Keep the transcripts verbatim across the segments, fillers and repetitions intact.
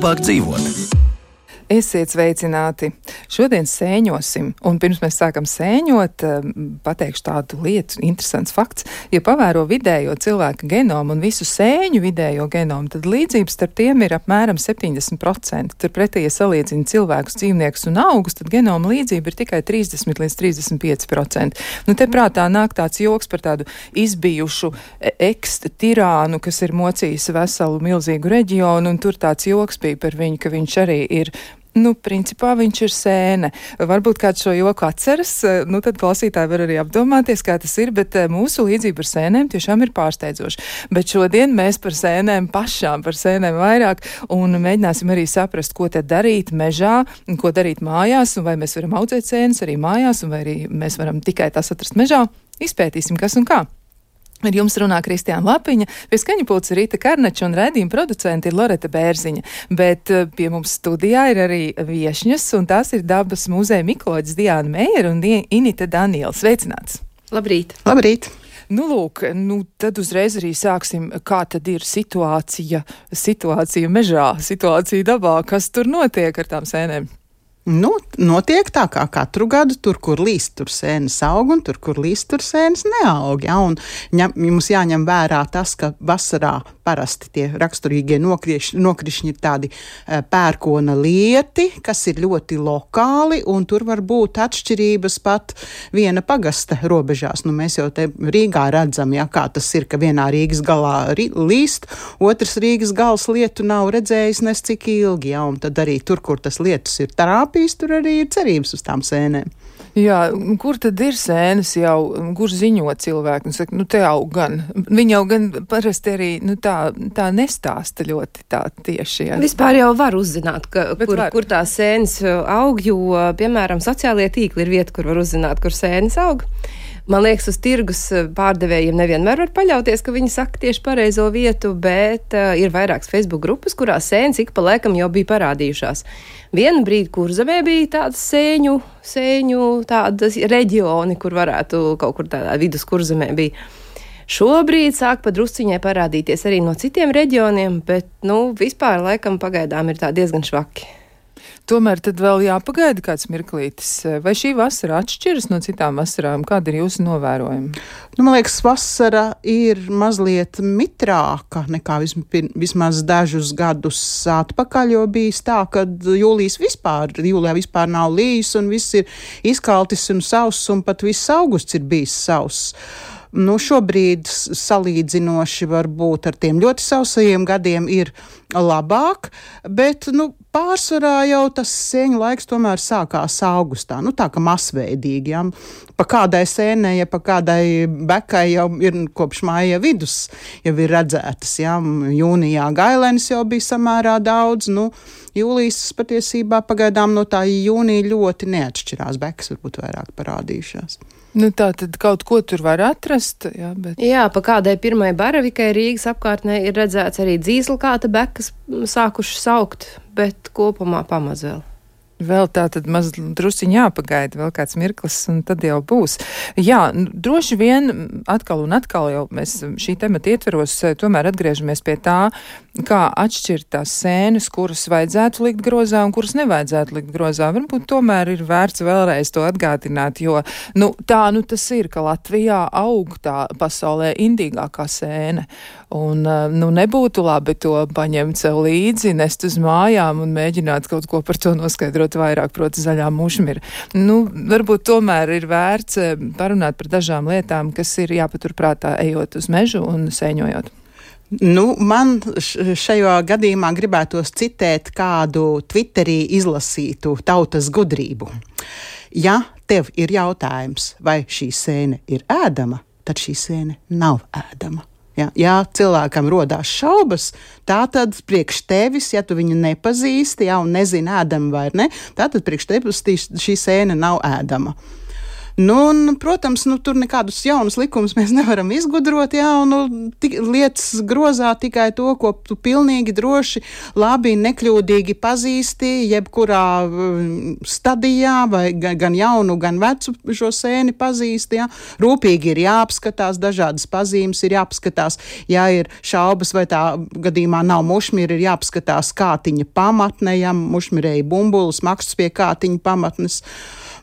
labāk dzīvot. Esiet sveicināti! Šodien sēņosim, un pirms mēs sākam sēņot, pateikšu tādu lietu, interesants fakts. Ja pavēro vidējo cilvēka genomu un visu sēņu vidējo genomu, tad līdzības starp tiem ir apmēram septiņdesmit procenti. Turpretī, ja salīdzina cilvēkus, dzīvniekus un augus, tad genoma līdzība ir tikai trīsdesmit līdz trīsdesmit pieci procenti. Nu, te prātā nāk tāds joks par tādu izbijušu ekst-tirānu, kas ir mocījis veselu milzīgu reģionu, un tur tāds joks bija par viņu, ka viņš arī ir. Nu, principā viņš ir sēne. Varbūt kāds šo joku atceras, nu tad klausītāji var arī apdomāties, kā tas ir, bet mūsu līdzība ar sēnēm tiešām ir pārsteidzoša. Bet šodien mēs par sēnēm pašām, par sēnēm vairāk, un mēģināsim arī saprast, ko tad darīt mežā, ko darīt mājās, un vai mēs varam audzēt sēnes arī mājās, un vai arī mēs varam tikai tās atrast mežā. Izpētīsim, kas un kā. Ar jums runā Kristiāna Lapiņa, pie skaņu pulca Rīta Karnača un raidījuma producenti ir Loreta Bērziņa, bet pie mums studijā ir arī viešņas, un tās ir Dabas muzeja mikoloģis Diāna Meijera un Inita Daniela. Sveicināts! Labrīt! Labrīt! Nu, lūk, nu, tad uzreiz arī sāksim, kā tad ir situācija, situācija mežā, situācija dabā, kas tur notiek ar tām sēnēm? Nu, notiek tā kā katru gadu, tur, kur līst, tur sēnes aug, un tur, kur līst, tur sēnes neaug. Ja? Un ņem, mums jāņem vērā tas, ka vasarā parasti tie raksturīgie nokrišņi, nokrišņi ir tādi e, pērkona lieti, kas ir ļoti lokāli, un tur var būt atšķirības pat viena pagasta robežās. Nu, mēs jau te Rīgā redzam, ja, kā tas ir, ka vienā Rīgas galā ri, līst, otrs Rīgas gals lietu nav redzējis nes cik ilgi, ja? Un tad arī tur, kur tas lietus ir trāpījis, tur arī ir cerības uz tām sēnēm. Jā, kur tad ir sēnes jau, kur ziņo cilvēki? Nu, saka, nu te aug gan. Viņi jau gan parasti arī, nu tā, tā nestāsta ļoti tā tieši. Jā. Vispār jau var uzzināt, ka, kur, kur tā sēnes aug, jo, piemēram, sociālie tīkli ir vieta, kur var uzzināt, kur sēnes aug. Man liekas, uz tirgus pārdevējiem nevienmēr var paļauties, ka viņi saka tieši pareizo vietu, bet uh, ir vairākas Facebook grupas, kurās sēnes ik pa laikam jau bija parādījušās. Vienu brīdi Kurzemē bija tādas sēņu, sēņu tādas reģioni, kur varētu kaut kur tādā vidus Kurzemē bija. Šobrīd sāk pa drusciņai parādīties arī no citiem reģioniem, bet, nu, vispār laikam pagaidām ir tā diezgan švaki. Tomēr tad vēl jāpagaida kāds mirklītis. Vai šī vasara atšķiras no citām vasarām? Kāda ir jūsu novērojuma? Nu, man liekas, vasara ir mazliet mitrāka nekā vismaz dažus gadus atpakaļ, jo bijis tā, ka jūlijas vispār, jūlijā vispār nav lijis un viss ir izkaltis un sauss un pat viss augusts ir bijis sauss. Nu, šobrīd salīdzinoši varbūt ar tiem ļoti sausajiem gadiem ir labāk, bet, nu, pārsvarā jau tas sēņu laiks tomēr sākās augustā. Nu, tā kā masveidīgi, ja. Pa kādai sēnei, ja pa kādai bekai jau ir kopš māja vidus, jau ir redzētas, ja. Jūnijā gailenis jau bija samērā daudz, nu, jūlijas patiesībā pagaidām no tā jūnija ļoti neatšķirās, bekas varbūt vairāk parādījušās. Nu, tā tad kaut ko tur var atrast, jā, bet... Jā, pa kādai pirmai baravikai Rīgas apkārtnē ir redzēts arī dzīzelkāta bekas sākušas saukt, bet kopumā pamaz vēl. Vēl tā tad maz drusciņ jāpagaida, vēl kāds mirklis, un tad jau būs. Jā, droši vien atkal un atkal jau mēs šī temata ietveros tomēr atgriežamies pie tā, kā atšķirt tās sēnes, kuras vajadzētu likt grozā un kuras nevajadzētu likt grozā. Varbūt tomēr ir vērts vēlreiz to atgādināt, jo nu, tā nu tas ir, ka Latvijā aug tā pasaulē indīgākā sēne. Un nu, nebūtu labi to paņemt sev līdzi, nest uz mājām un mēģināt kaut ko par to noskaidrot vairāk, proti zaļā mušmira. Nu, varbūt tomēr ir vērts parunāt par dažām lietām, kas ir jāpaturprātā ejot uz mežu un sēņojot. Nu, man šajā gadījumā gribētos citēt kādu Twitterī izlasītu tautas gudrību. Ja tev ir jautājums, vai šī sēne ir ēdama, tad šī sēne nav ēdama. Ja, ja cilvēkam rodās šaubas, tā tad priekš tevis, ja tu viņu nepazīsti, ja, un nezini ēdama vai ne, tā tad priekš tevis šī sēne nav ēdama. Nu, un, protams, nu, tur nekādus jaunus likumus mēs nevaram izgudrot, jā, un nu, tik, lietas grozā tikai to, ko tu pilnīgi droši, labi, nekļūdīgi pazīsti, jebkurā um, stadijā, vai gan, gan jaunu, gan vecu šo sēni pazīsti, jā. Rūpīgi ir jāapskatās, dažādas pazīmes ir jāapskatās, ja ir šaubas, vai tā gadījumā nav mušmira, ir jāapskatās kātiņa pamatne, ja mušmirēja bumbulis, maksas pie kātiņa pamatnes.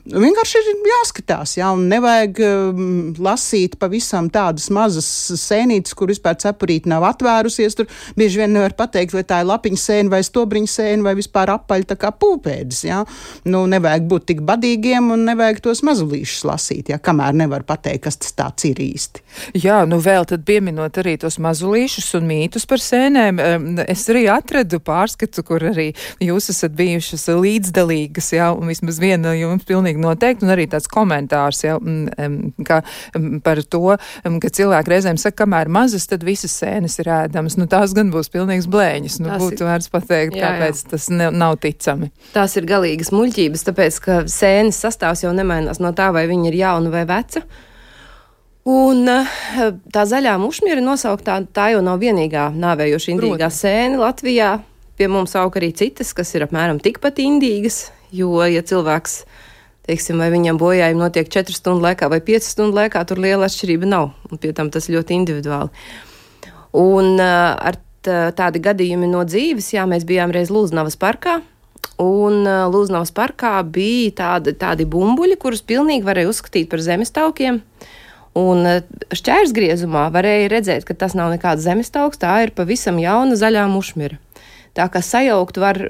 Vienkārši ir jāskatās, jā, un nevajag um, lasīt pavisam tādas mazas sēnītes, kur vispār cepurīte nav atvērusies. Tur bieži vien nevar pateikt, vai tā ir lapiņa sēna vai stobriņa sēna vai vispār apaļ tā kā pūpēdis, jā. Nu, nevajag būt tik badīgiem un nevajag tos mazulīšus lasīt, jā, kamēr nevar pateikt, kas tas tāds ir īsti. Jā, nu vēl tad pieminot arī tos mazulīšus un mītus par sēnēm, es arī atradu pārskatu, kur arī jūs esat bijušas līdzdalīgas, jā, un vismaz viena jums pilnīgi noteikti, un arī tāds komentārs, ja, ka, par to, ka cilvēki reizēm saka, kamēr mazas, tad visas sēnes ir ēdamas. Nu, tās gan būs pilnīgs blēņas. Nu, tās būtu ir... vērts pateikt, jā, kāpēc jā. Tas ne, nav ticami. Tās ir galīgas muļķības, tāpēc, ka sēnes sastāvs jau nemainās no tā, vai viņa ir jauna vai veca. Un tā zaļā mušmira nosauktā, tā jau nav vienīgā nāvējoša indīgā sēne Latvijā. Pie mums aug arī citas, kas ir apmēram tikpat indīgas, jo, ja cilvēks teiksim, vai viņam bojājumi notiek četru stundu laikā vai piecu stundu laikā, tur liela atšķirība nav. Un pie tam tas ļoti individuāli. Un uh, ar tādi gadījumi no dzīves, jā, mēs bijām reiz Lūznavas parkā, un uh, Lūznavas parkā bija tādi, tādi bumbuļi, kurus pilnīgi varēja uzskatīt par zemestaukiem. Un uh, šķērsgriezumā varēja redzēt, ka tas nav nekāds zemestauks, tā ir pavisam jauna zaļā mušmira. Tā kā sajaukt var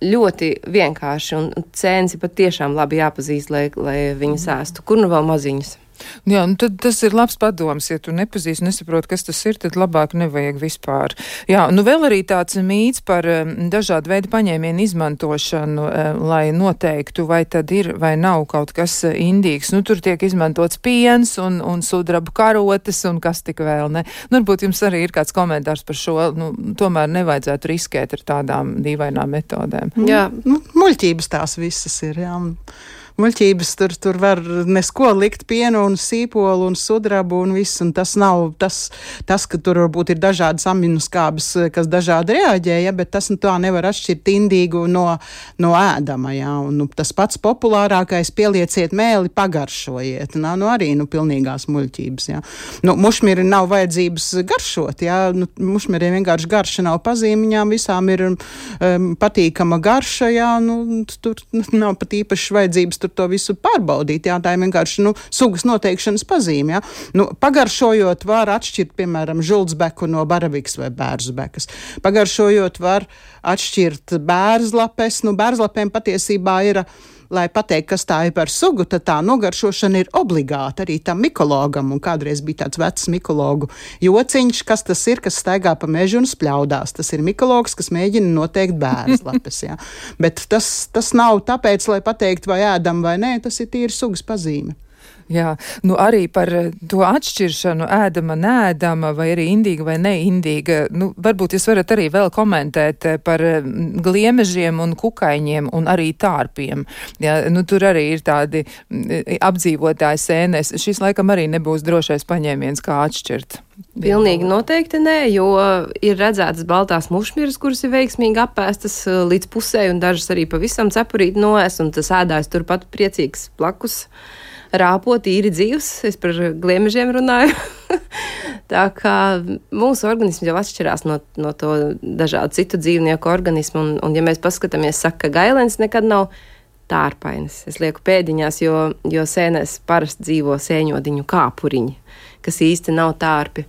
ļoti vienkārši, un cēns ir pat tiešām labi jāpazīst, lai, lai viņas ēstu. Kur nu vēl maziņas? Jā, nu tad tas ir labs padoms, ja tu nepazīsti, nesaproti, kas tas ir, tad labāk nevajag vispār. Jā, nu vēl arī tāds mīts par um, dažādu veidu paņēmienu izmantošanu, um, lai noteiktu, vai tad ir vai nav kaut kas uh, indīgs. Nu, tur tiek izmantots piens un, un sudrabu karotes un kas tik vēl, ne? Nu, varbūt jums arī ir kāds komentārs par šo, nu, tomēr nevajadzētu riskēt ar tādām dīvainām metodēm. Jā, nu, muļķības tās visas ir, jā. Muļķības tur, tur var nesko likt pienu un sīpolu un sudrabu un viss, un tas nav tas, tas ka tur varbūt ir dažādas aminoskābes, kas dažādi reaģē, ja, bet tas nu, tā nevar atšķirt indīgu no, no ēdama, ja, un nu, tas pats populārākais pielieciet mēli, pagaršojiet, nav nu, arī nu, pilnīgās muļķības, ja. Nu, mušmiri nav vajadzības garšot, ja, nu, mušmiriem vienkārši garša nav pazīmiņām, visām ir um, patīkama garša, ja, nu, tur nav pat īpaši vajadzības tur to visu pārbaudīt, jā, tā ir vienkārši, nu, sugas noteikšanas pazīme, jā. Nu, pagaršojot var atšķirt, piemēram, žuldzbeku no baravikas vai bērzbekas. Pagaršojot var atšķirt bērzlapes, nu, bērzlapēm patiesībā ir, lai pateikt, kas tā ir par sugu, tad tā nogaršošana ir obligāta arī tam mikologam, un kādreiz bija tāds vecs mikologu jociņš, kas tas ir, kas staigā pa mežu un spļaudās. Tas ir mikologs, kas mēģina noteikt bērzlapes, jā. Bet tas, tas nav tāpēc, lai pateikt, vai ēdam vai nē, tas ir tīri sugas pazīme. Jā, nu arī par to atšķiršanu ēdama, neēdama, vai arī indīga vai neindīga. Nu, varbūt jūs varat arī vēl komentēt par gliemežiem un kukaiņiem un arī tārpiem. Jā, nu, tur arī ir tādi apdzīvotāji sēnēs. Šis laikam arī nebūs drošais paņēmiens, kā atšķirt. Pilnīgi noteikti nē, jo ir redzētas baltās mušmiras, kuras ir veiksmīgi apēstas līdz pusē, un dažas arī pavisam cepurīt noēs, un tas ēdājs turpat priecīgs plakus. Rāpot īri dzīvs, es par gliemežiem runāju. Tā kā mūsu organisms jau atšķirās no, no to dažādu citu dzīvnieku organismu, un, un ja mēs paskatāmies, saka, ka gailens nekad nav tārpainis. Es lieku pēdiņās, jo, jo sēnēs parasti dzīvo sēņodiņu kāpuriņi, kas īsti nav tārpi.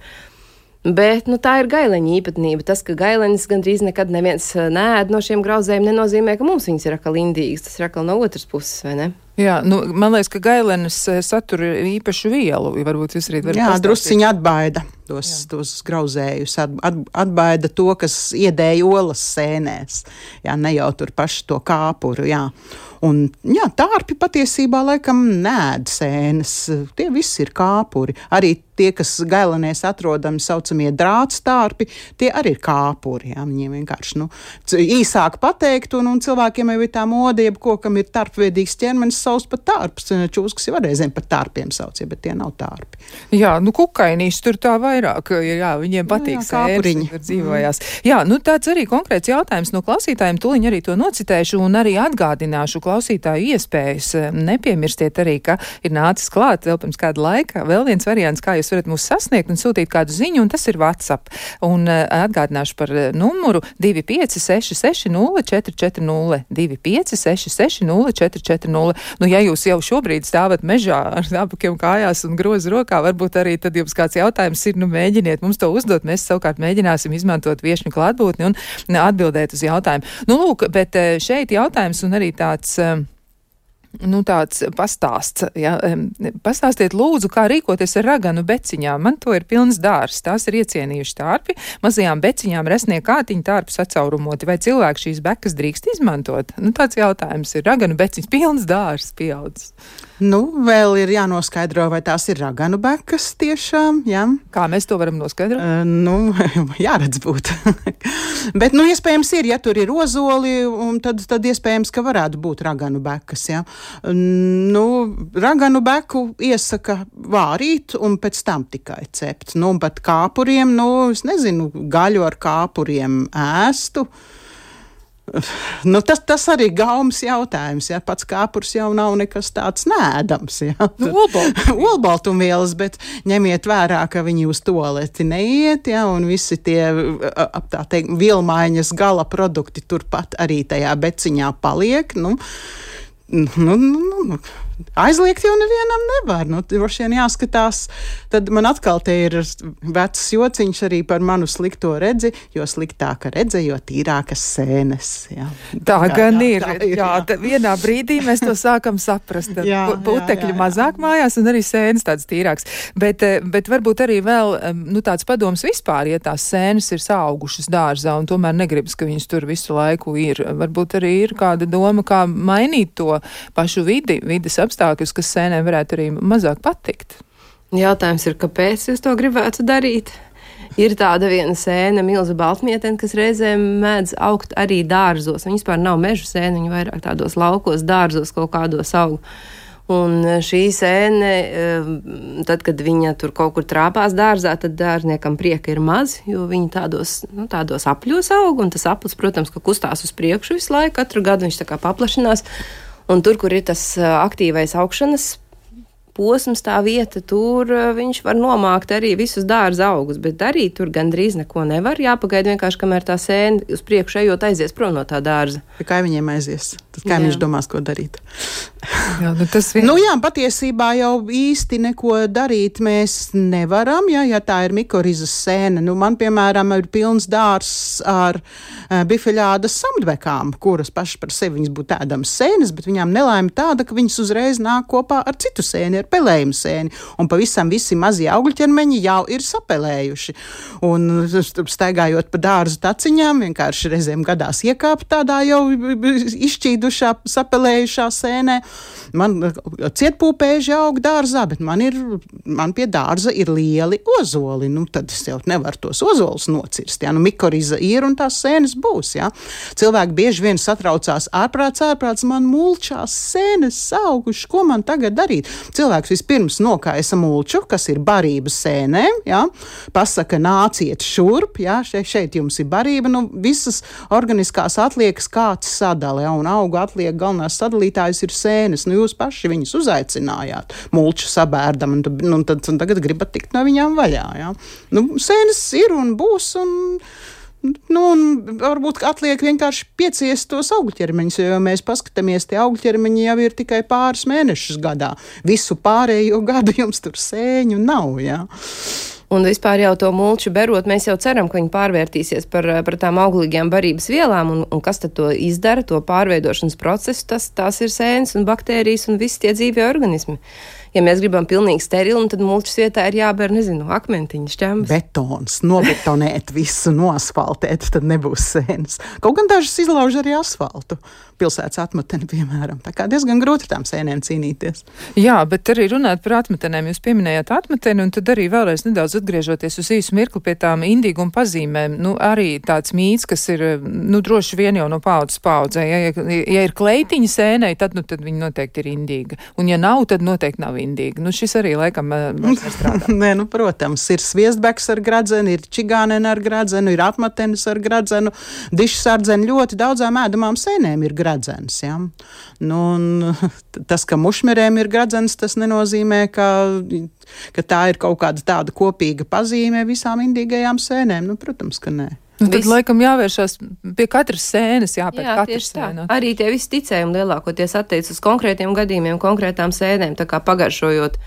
Bet, nu, tā ir gaileņa īpatnība. Tas, ka gailenis gandrīz nekad neviens neēd no šiem grauzējiem, nenozīmē, ka mums viņas ir atkal indīgas. Tas ir atkal no otras puses, vai ne? Jā, nu, man liekas, ka gailenis satura īpašu vielu. Varbūt jūs arī varat Jā, pastāstīt. Drusciņi atbaida tos, tos grauzējus, at, at, atbaida to, kas iedēja olas sēnēs. Jā, ne jau tur paši to kāpuru, jā. Un, jā, tārpi patiesībā laikam nēd sēnes. Tie visi ir kāpuri. Arī tie, kas gailenēs atrodami saucamie drātstārpi, tie arī ir kāpuri. Jā. Viņiem vienkārši nu, īsāk pateikt, un, un cilvēkiem jau ir tā mode, jeb kokam ir tarpveidīgs ķermenis, sauc pat tārps. Čūskas jau reizēm pat tārpiem sauc, ja, bet tie nav tārpi. Jā, nu kukainīs tur tā vairāk, jā, viņiem patīk jā, sēnes, tur dzīvojās. Mm. Jā, nu tāds arī konkrēts jautājums no klausītājiem, tuliņ arī to nocitēšu un arī atgādināšu klausītāju iespējas. Nepiemirstiet arī, ka ir nācis klāt vēl pirms kāda laika vēl viens variants, kā jūs varat mūs sasniegt un sūtīt kādu ziņu, un tas ir WhatsApp. Un uh, atgādināšu par uh, numuru divi pieci seši seši nulle četri četri nulle, divi pieci seši seši nulle četri četri nulle. Nu, ja jūs jau šobrīd stāvat mežā ar apakiem kājās un grozu rokā, varbūt arī tad jums kāds jautājums ir, nu mēģiniet mums to uzdot, mēs savukārt mēģināsim izmantot viešņu klātbūtni un atbildēt uz jautājumu. Nu, lūk, bet šeit jautājums un arī tāds... Nu, tāds pastāsts, ja, pastāstiet lūdzu, kā rīkoties ar raganu beciņām. Man to ir pilns dārs, tās ir iecienījuši tārpi, mazajām beciņām resnie kātiņu tārpi sacaurumoti, vai cilvēki šīs bekas drīkst izmantot? Nu, tāds jautājums ir, raganu beciņas, pilns dārs pieaudzis. Nu, vēl ir jānoskaidro, vai tās ir raganu bekas tiešām, jā. Kā mēs to varam noskaidrot? Uh, nu, jāredz būt. Bet, nu, iespējams ir, ja tur ir ozoli, un tad, tad iespējams, ka varētu būt raganu bekas, jā. Nu, raganu beku iesaka vārīt un pēc tam tikai cept. Nu, un pat kāpuriem, nu, es nezinu, gaļu ar kāpuriem ēstu. Nu, tas, tas arī gaumas jautājums, ja pats kāpurs jau nav nekas tāds nēdams, ja. Olbaltumvielas, bet ņemiet vērā, ka viņi uz tualeti neiet, ja, un visi tie, tā teikt, vielmaiņas gala produkti turpat arī tajā beciņā paliek, nu, nu, nu, nu. Aizliegt jau nevienam nevar. Nu, droši vien jāskatās. Tad man atkal te ir vecs jociņš arī par manu slikto redzi, jo sliktāka redze, jo tīrākas sēnes. Jā. Tā jā, gan jā, ir. Tā ir jā, jā. Vienā brīdī mēs to sākam saprast. Jā, putekļi jā, jā, jā. mazāk mājās un arī sēnes tāds tīrāks. Bet, bet varbūt arī vēl nu, tāds padoms vispār, ja tās sēnes ir saugušas dārzā un tomēr negribas, ka viņas tur visu laiku ir. Varbūt arī ir kāda doma, kā mainīt to pašu vidi, vides apstākļus, kas sēnēm varētu arī mazāk patikt. Jautājums ir, kāpēc jūs to gribētu darīt? Ir tāda viena sēne, milza baltmietene, kas reizēm mēdz augt arī dārzos. Viņa vispār nav mežu sēne, viņa vairāk tādos laukos, dārzos kaut kādos aug. Un šī sēne, tad, kad viņa tur kaut kur trāpās dārzā, tad dārzniekam prieka ir maz, jo viņi tādos, nu, tādos apļos aug, un tas aplis, protams, ka kustās uz priekšu visu laiku, katru gadu viņš tā kā paplašinās. Un tur, kur ir tas aktīvais augšanas posms, tā vieta, tur viņš var nomākt arī visus dārza augus, bet darīt tur gandrīz neko nevar. Jāpagaida vienkārši, kamēr tā sēne uz priekšu ejot aizies prom no tā dārza. Kā viņiem aizies? Tad kā viņš domās, ko darīt? Jā, nu, tas vien... nu jā, patiesībā jau īsti neko darīt mēs nevaram, ja, ja tā ir mikorizas sēne. Nu, man, piemēram, ir pilns dārs ar uh, bifeļādas samdvekām, kuras paši par sevi viņas būtu ēdamas sēnes, bet viņām nelaime tāda, ka viņas uzreiz nāk kopā ar citu sēni, ar pelējumu sēni, un pavisam visi mazie augļķermeņi jau ir sapelējuši. Un staigājot pa dārzu taciņām, vienkārši reizēm gadās iekāpt tādā jau izšķīdušā, sapelējušā sēnē. Man cietpūpēži aug dārzā, bet man ir, man pie dārza ir lieli ozoli. Nu, tad es jau nevaru tos ozolus nocirst, jā. Nu, mikoriza ir un tās sēnes būs, jā. Cilvēki bieži vien satraucās ārprāts, ārprāts, man mulčās sēnes auguši, ko man tagad darīt? Cilvēks vispirms nokaisa mulču, kas ir barības sēnēm, jā. Pasaka, nāciet šurp, jā, šeit, šeit jums ir barība, nu, visas organiskās atliekas kāds sadala, jā, un auga atliek galvenās sadalītājs ir sēnes. Nu, jūs paši viņus uzaicinājāt, mulču sabērdam, un, nu, tad, un tagad gribat tikt no viņām vaļā. Ja? Nu, sēnes ir un būs, un, nu, un varbūt atliek vienkārši pieciest tos augļķermeņus, jo mēs paskatāmies, tie augļķermeņi jau ir tikai pāris mēnešus gadā. Visu pārējo gadu jums tur sēņu nav, ja? Un vispār jau to mulču berot, mēs jau ceram, ka viņi pārvērtīsies par, par tām auglīgajām barības vielām, un, un kas tad to izdara, to pārveidošanas procesu, tas, tās ir sēnes un baktērijas un visi tie dzīvie organismi. Ja mēs gribam pilnīgi sterilu, tad mulčas vietā ir jāber, nezinu, akmentiņas, ķembas. Betons, nobetonēt visu, noasfaltēt, tad nebūs sēnes. Kaut gan dažas izlauž arī asfaltu. Pilsētas atmeteni, piemēram. Tā kā diezgan grūti tām sēnēm cīnīties. Jā, bet arī runāt par atmetenēm. Jūs pieminējāt atmeteni, un tad arī vēlreiz nedaudz atgriežoties uz īsu mirkli pie tām indīguma pazīmēm. Nu, arī tāds mīts, kas ir, nu, droši vien jau no paudzes paudzē. Ja, ja, ja ir kleitiņa sēnei, tad, nu, tad viņa noteikti ir indīga. Un ja nav, tad noteikti nav indīga. Nu, šis arī laikam nestrādā. Nē, nu, protams, ir sviestbeks ar gradzenu, ir čigāneni ar gradzenu, ir atmetenis ar gradzenu, dišs ardzeni, ļoti daudzām ēdamām sēnēm ir gradzens, ja? Nu, un tas, ka mušmerēm ir gradzens, tas nenozīmē, ka, ka tā ir kaut kāda tāda kopīga pazīme visām indīgajām sēnēm. Nu, protams, ka nē. Nu, tad, Vis... laikam, jāvēršās pie katras sēnes, jāpēc Jā, katras sēnes. Arī tie visi ticējumi lielākoties attiec uz konkrētiem gadījumiem, konkrētām sēnēm, tā kā pagaršojot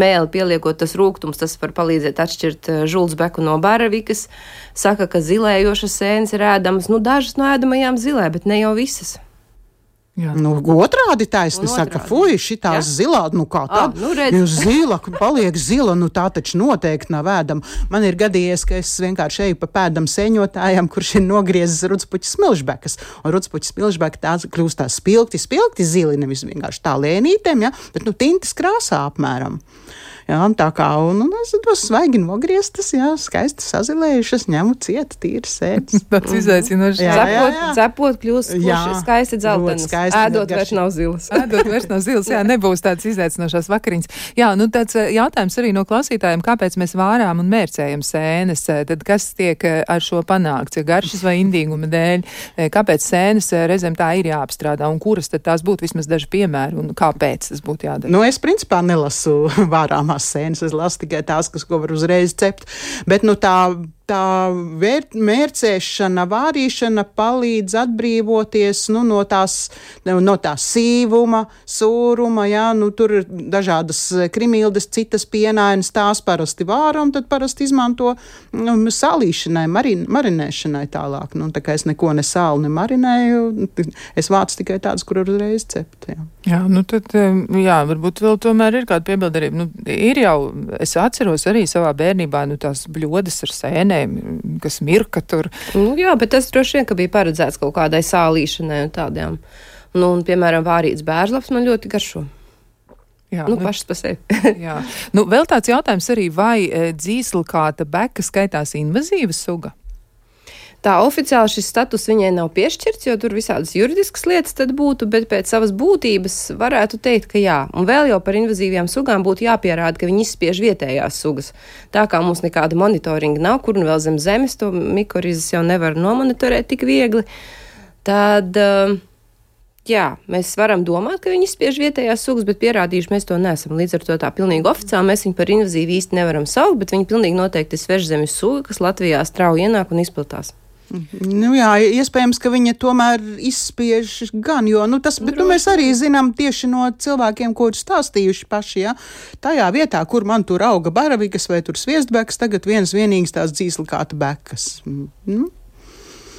mēli, pieliekot tas rūgtums, tas var palīdzēt atšķirt žultsbeku no baravikas. Saka, ka zilējošas sēnes ir ēdamas, nu dažas no ēdamajām zilē, bet ne jau visas. Jā. Nu, otrādi taisni saka, fuj, šitās zilā, nu kā tad, nu jūs zila, paliek zila, nu tā taču noteikti nav ēdama. Man ir gadījies, ka es vienkārši eju pa pēdam sēņotājām, kurš ir nogriezis rudspuķis smilžbekas, un rudspuķis smilžbeka tās kļūst tā spilgti, spilgti zili, nevis vienkārši tā lēnītēm, ja, bet nu tintas krāsā apmēram. Jā, tā kā, un, un es tos svaigi nogrieztas, jā, skaisti sazilējušas, ņemu ciet, tīri sēdz. Tāds izaicinošs. Cepot, cepot kļūst kurši skaisti dzeltenas, ēdot vairs nav zilas. Ēdot vairs nav zilas, jā, nebūs tāds izaicinošās vakariņas. Jā, nu tāds jautājums arī no klausītājiem, kāpēc mēs vārām un mērcējam sēnes, tad kas tiek ar šo panākts, ja garšas vai indīguma dēļ, kāpēc sēnes reizēm tā ir jāapstrādā, un kuras tad tās būtu vismaz daži piemēri, un kāpēc tas būtu jādara? Nu, es principā nelasu vārām sēnes, es lasu tikai tās, kas ko var uzreiz cept, bet nu tā tā vēr, mērcēšana, vārīšana palīdz atbrīvoties nu, no, tās, no tās sīvuma, sūruma, jā, nu, tur ir dažādas krimildes, citas pienainas, tās parasti vāram, tad parasti izmanto nu, salīšanai, marin, marinēšanai tālāk. Nu, tā kā es neko ne sālu, ne marinēju, es vācu tikai tādas, kur uzreiz cept. Jā. Jā, nu tad, jā, varbūt vēl tomēr ir kāda piebildarība. Nu, ir jau, es atceros arī savā bērnībā, nu, tās bļodas ar sēnēm, kas mirka tur. Nu, jā, bet tas droši vien, ka bija paredzēts kaut kādai sālīšanai un tādām. Nu, un, piemēram, vārīts bēržlaps man ļoti garšo. Jā, nu, nu, pašas pa sevi. Jā. Nu, vēl tāds jautājums arī, vai e, dzīslkāta beka skaitās invazīva suga? Tā oficiāli šis status viņai nav piešķirts, jo tur visādas juridiskas lietas tad būtu, bet pēc savas būtības varētu teikt, ka jā. Un vēl jau par invazīvajām sugām būtu jāpierāda, ka viņi izspiež vietējās sugas. Tā kā mums nekāda monitoringa nav, kur un vēl zem zemes, to mikorizes jau nevar nomonitorēt tik viegli, tad, jā, mēs varam domāt, ka viņi izspiež vietējās sugas, bet pierādījuši mēs to neesam. Līdz ar to tā pilnīgi oficiāli mēs viņu par invazīvu īsti nevaram saukt, bet viņi pilnīgi noteikti ir svežzemes suga, kas Latvijā strauji ienāk un izplatās. Nu jā, iespējams, ka viņa tomēr izspiež gan, jo, nu tas, bet nu, mēs arī zinām tieši no cilvēkiem, ko ir stāstījuši paši, ja, tajā vietā, kur man tur auga baravikas vai tur sviestbekas, tagad viens vienīgs tās dzīslkāta bekas. Nu.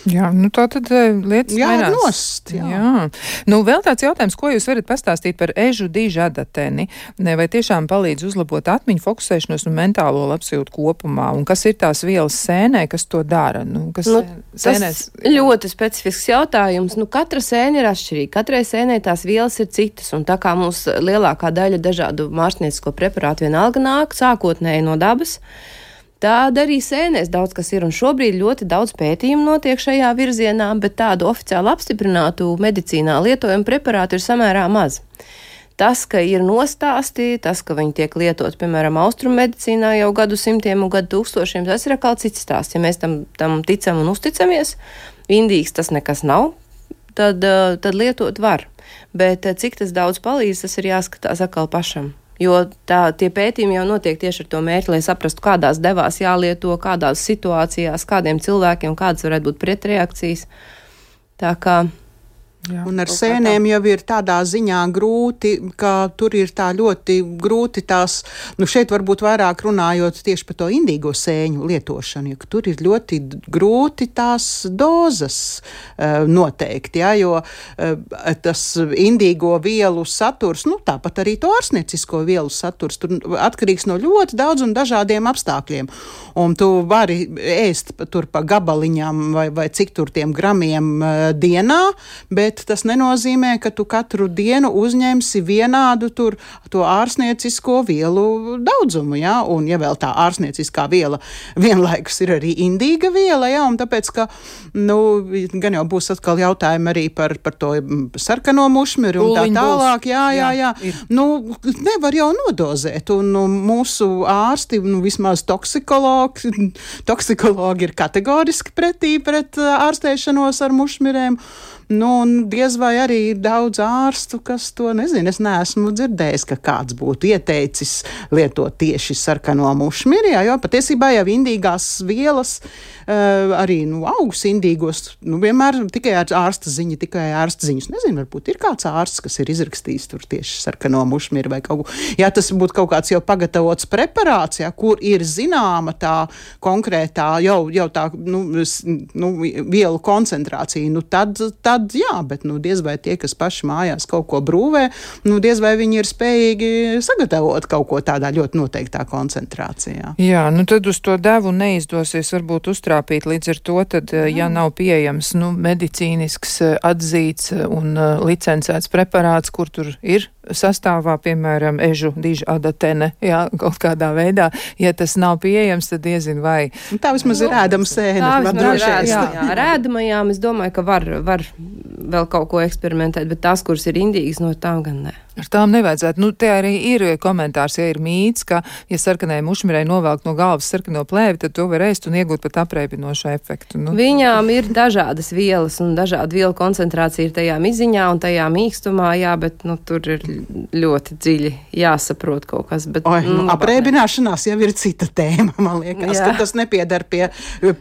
Jā, nu tā tad lietas jā, mainās. Nost, jā. jā. Nu, vēl tāds jautājums, ko jūs varat pastāstīt par ežu dižadateni? Vai tiešām palīdz uzlabot atmiņu, fokusēšanos un mentālo labsajūtu kopumā? Un kas ir tās vielas sēnē, kas to dara? Nu, kas nu, sēnēs... Tas ļoti specifisks jautājums. Nu, katra sēne ir atšķirīga. Katrai sēnē tās vielas ir citas. Un tā kā mums lielākā daļa dažādu mārstniecisko preparātu vienalga nāk sākotnēji no dabas, tāda arī sēnēs daudz kas ir, un šobrīd ļoti daudz pētījumu notiek šajā virzienā, bet tādu oficiāli apstiprinātu medicīnā lietojumu preparātu ir samērā maz. Tas, ka ir nostāsti, tas, ka viņi tiek lietot, piemēram, austrumu medicīnā jau gadu simtiem un gadu tūkstošiem, tas ir atkal cits stāsts. Ja mēs tam, tam ticam un uzticamies, indīgs tas nekas nav, tad, tad lietot var. Bet cik tas daudz palīdz, tas ir jāskatās atkal pašam. Jo tā, tie pētījumi jau notiek tieši ar to mērķi, lai saprastu, kādās devās jālieto, kādās situācijās, kādiem cilvēkiem, kādas varētu būt pretreakcijas. Tā kā... Jā, un ar sēnēm jau ir tādā ziņā grūti, ka tur ir tā ļoti grūti tās, nu šeit varbūt vairāk runājot tieši par to indīgo sēņu lietošanu, jo tur ir ļoti grūti tās dozas uh, noteikt, jā, jo uh, tas indīgo vielu saturs, nu tāpat arī to ārsniecisko vielu saturs, tur atkarīgs no ļoti daudz un dažādiem apstākļiem. Un tu vari ēst tur pa gabaliņām vai, vai cik tur tiem gramiem uh, dienā, bet tas nenozīmē, ka tu katru dienu uzņemsi vienādu tur to ārsniecisko vielu daudzumu, jā, un ja vēl tā ārsnieciskā viela vienlaikus ir arī indīga viela, jā, un tāpēc, ka, nu, gan jau būs atkal jautājumi arī par, par to sarkano mušmiri un tā tālāk, jā, jā, jā, jā. Nu, nevar jau nodozēt, un nu, mūsu ārsti, nu, vismaz toksikologi, toksikologi ir kategoriski pretī pret ārstēšanos ar mušmirēm. Nu, un diez vai arī ir daudz ārstu, kas to nezinu. Es neesmu dzirdējis, ka kāds būtu ieteicis lietot tieši sarkano mušmiri, jo patiesībā jau indīgās vielas, uh, arī nu, augus indīgos, nu, vienmēr tikai ar ārsta ziņa, tikai ārsta ziņas. Nezinu, varbūt ir kāds ārsts, kas ir izrakstījis tur tieši sarkano mušmiri vai kaut ko. Ja tas būtu kaut kāds jau pagatavots preparāts, ja, kur ir zināma tā konkrētā jau, jau tā nu, nu, vielu koncentrācija, nu tad, tad Tad jā, bet nu, diez vai tie, kas paši mājās kaut ko brūvē, nu, diez vai viņi ir spējīgi sagatavot kaut ko tādā ļoti noteiktā koncentrācijā. Jā, nu tad uz to devu neizdosies varbūt uztrāpīt, līdz ar to, tad, jā. ja nav pieejams nu, medicīnisks atzīts un uh, licencēts preparāts, kur tur ir sastāvā, piemēram, ežu diža adatene, jā, kaut kādā veidā, ja tas nav pieejams, tad diezin vai. Un tā vismaz ir ēdama sēne. Tā vismaz ir ēdama, jā. jā. Ar ēdamajām, es domāju, ka var, var vēl kaut ko eksperimentēt, bet tās, kuras ir indīgas, no tām gan ne. Ar tām nevajadzētu. Nu, te arī ir komentārs, ja ir mīts, ka, ja sarkanai mušmirei novelk no galvas sarkano plēvi, tad to var ēst un iegūt pat apreibinošu efektu. Nu. Viņām ir dažādas vielas un dažāda vielu koncentrācija ir tajā miziņā un tajā mīkstumā, jā, bet, nu, tur ir ļoti dziļi jāsaprot kaut kas. Bet, Oi, nu, apreibināšanās jau ir cita tēma, man liekas, jā. Ka tas nepiedar pie,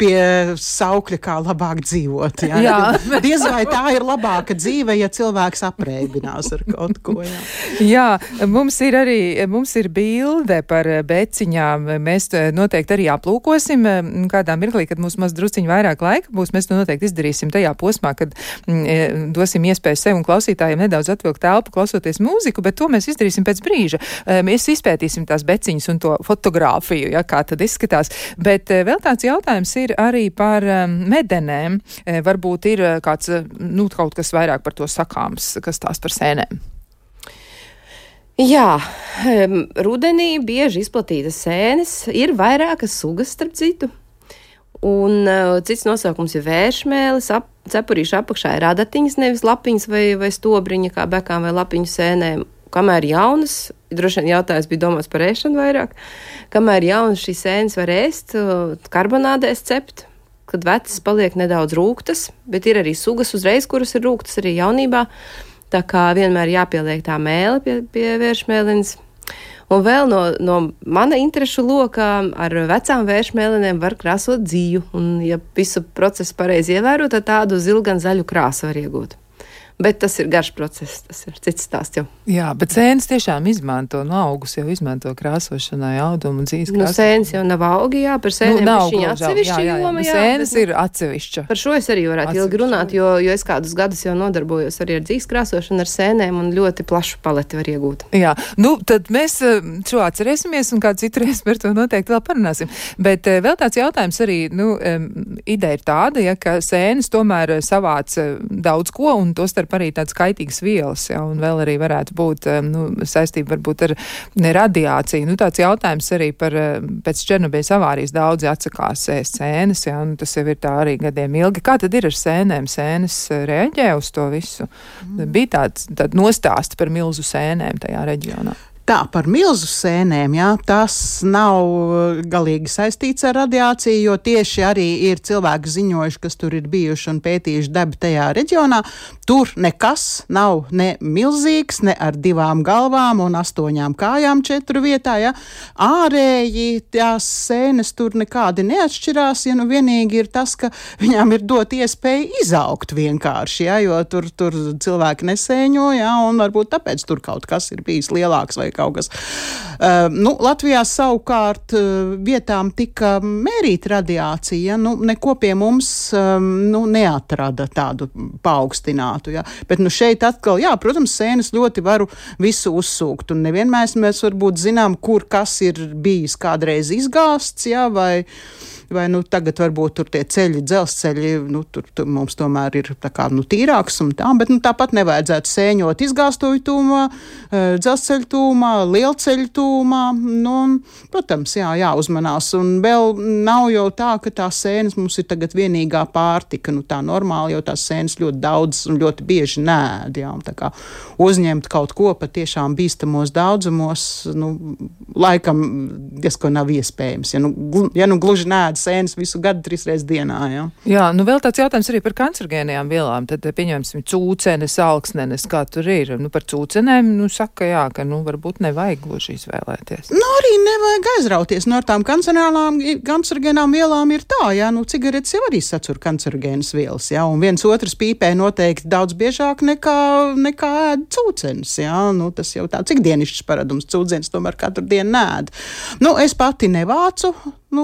pie saukļa, kā labāk dzīvot. Jā. Jā. Diez vai tā ir labāka dzīve, ja cilvēks apreibinās ar kaut ko, jā. Jā, mums ir arī, mums ir bilde par beciņām. Mēs noteikti arī aplūkosim kādā mirklī, kad mums maz drusciņi vairāk laika būs. Mēs to noteikti izdarīsim tajā posmā, kad mm, dosim iespēju sev un klausītājiem nedaudz atvilkt telpu, klausoties mūziku, bet to mēs izdarīsim pēc brīža. Mēs izpētīsim tās beciņas un to fotogrāfiju, ja, kā tad izskatās. Bet vēl tāds jautājums ir arī par medenēm. Varbūt ir kāds, nu, kaut kas vairāk par to sakāms, kas tās par sēnēm. Jā, rudenī bieži izplatītas sēnes, ir vairākas sugas starp citu, un uh, cits nosaukums ir vēršmēlis, ap, cepurīšu apakšā ir adatiņas, nevis lapiņas vai, vai stobriņa, kā bekām vai lapiņu sēnēm, kamēr jaunas, droši vien jautājums bija domāts par ēšanu vairāk, kamēr jaunas šīs sēnes var ēst, karbonādēs cept, kad vecas paliek nedaudz rūgtas, bet ir arī sugas uzreiz, kuras ir rūgtas arī jaunībā. Tā kā vienmēr jāpieliek tā mēle pie, pie vēršmēlenes. Un vēl no, no mana interešu lokā ar vecām vēršmēlenēm var krāsot dzīvu. Un, ja visu procesu pareizi ievēro, tad tādu zilgan zaļu krāsu var iegūt. Bet tas ir garš process, tas ir cits stāsts jau. Jā, bet sēnes tiešām izmanto, no augus jau izmanto krāsošanai, audumu un dzīves krāsošanai. Nu, sēnes jau nav augi, jā, par sēnēm nu, viņa atsevišķa jā, jā, jā. joma, jā. Sēnes bet, ir atsevišķa. Par šo es arī varētu ilgi runāt, jo, jo es kādus gadus jau nodarbojos arī ar dzīves krāsošanu, ar sēnēm un ļoti plašu paleti var iegūt. Jā, nu, tad mēs šo atcerēsimies un kādu citu reizi par to noteikti vēl parunāsim. Bet vēl tāds jautājums arī, nu, ideja ir tāda, ja, ka sēnes tomēr savāc daudz ko un to starp arī tāds kaitīgas vielas, ja, un vēl arī varētu būt, nu, saistība varbūt ar radiāciju. Nu, tāds jautājums arī par, pēc Černobīļas avārijas daudzi atsakās ēst sēnes, ja, un tas jau ir tā arī gadiem ilgi. Kā tad ir ar sēnēm? Sēnes reaģē uz to visu? Mm. Bija tāds, tād nostāsti par milzu sēnēm tajā reģionā. Tā, par milzu sēnēm, jā, tas nav galīgi saistīts ar radiāciju, jo tieši arī ir cilvēki ziņojuši, kas tur ir bijuši un pētījuši dabu tajā reģionā. Tur nekas nav ne milzīgs, ne ar divām galvām un astoņām kājām četru vietā, jā. Ārēji tās sēnes tur nekādi neatšķirās, ja nu vienīgi ir tas, ka viņām ir dot iespēju izaugt vienkārši, jā, jo tur, tur cilvēki nesēņo, jā, un varbūt tāpēc tur kaut kas ir bijis lielāks vai kaut kas. Uh, nu, Latvijā savukārt uh, vietām tika mērīta radiācija, nu, neko pie mums um, nu, neatrada tādu paaugstinātu, jā. Bet nu šeit atkal, jā, protams, sēnes ļoti varu visu uzsūkt, un nevienmēr mēs varbūt zinām, kur kas ir bijis kādreiz izgāsts, jā, vai vai nu tagad varbūt tur tie ceļi, dzelzceļi, nu tur, tur mums tomēr ir tā kā, nu, tīrāks un tā, bet, nu, tāpat nevajadzētu sēņot izgāstoju tūmā, dzelzceļu tūmā, lielceļu tūmā, nu, un, protams, jā, jāuzmanās, un vēl nav jau tā, ka tās sēnes mums ir tagad vienīgā pārtika, nu, tā normāli jau tās sēnes ļoti daudz un ļoti bieži nēd, jā, un tā kā uzņemt kaut ko patiešām bīstamos daudzumos, nu, laikam diezko nav iespējams, ja nu, ja nu gluži nēd sēnes visu gadu trīs reizes dienā, jā. Jā, nu vēl tāds jautājums arī par kancerogēnajām vielām, tad pieņemsim cūcenes, alksnenes, kā tur ir, nu par cūcenēm, nu saka, jā, ka, nu varbūt nevajag gluži izvēlēties. Nu arī nevajag aizrauties, no tām kancerogēnām vielām ir tā, jā, nu cigaretes jau arī satur kancerogēnas vielas, jā, un viens otrs pīpē noteikti daudz biežāk nekā, nekā ēd cūcenes, jā, nu tas jau tāds ikdienišķs paradums, cūcenes tomēr katru dienu nēd. Nu, es pati nevācu, nu,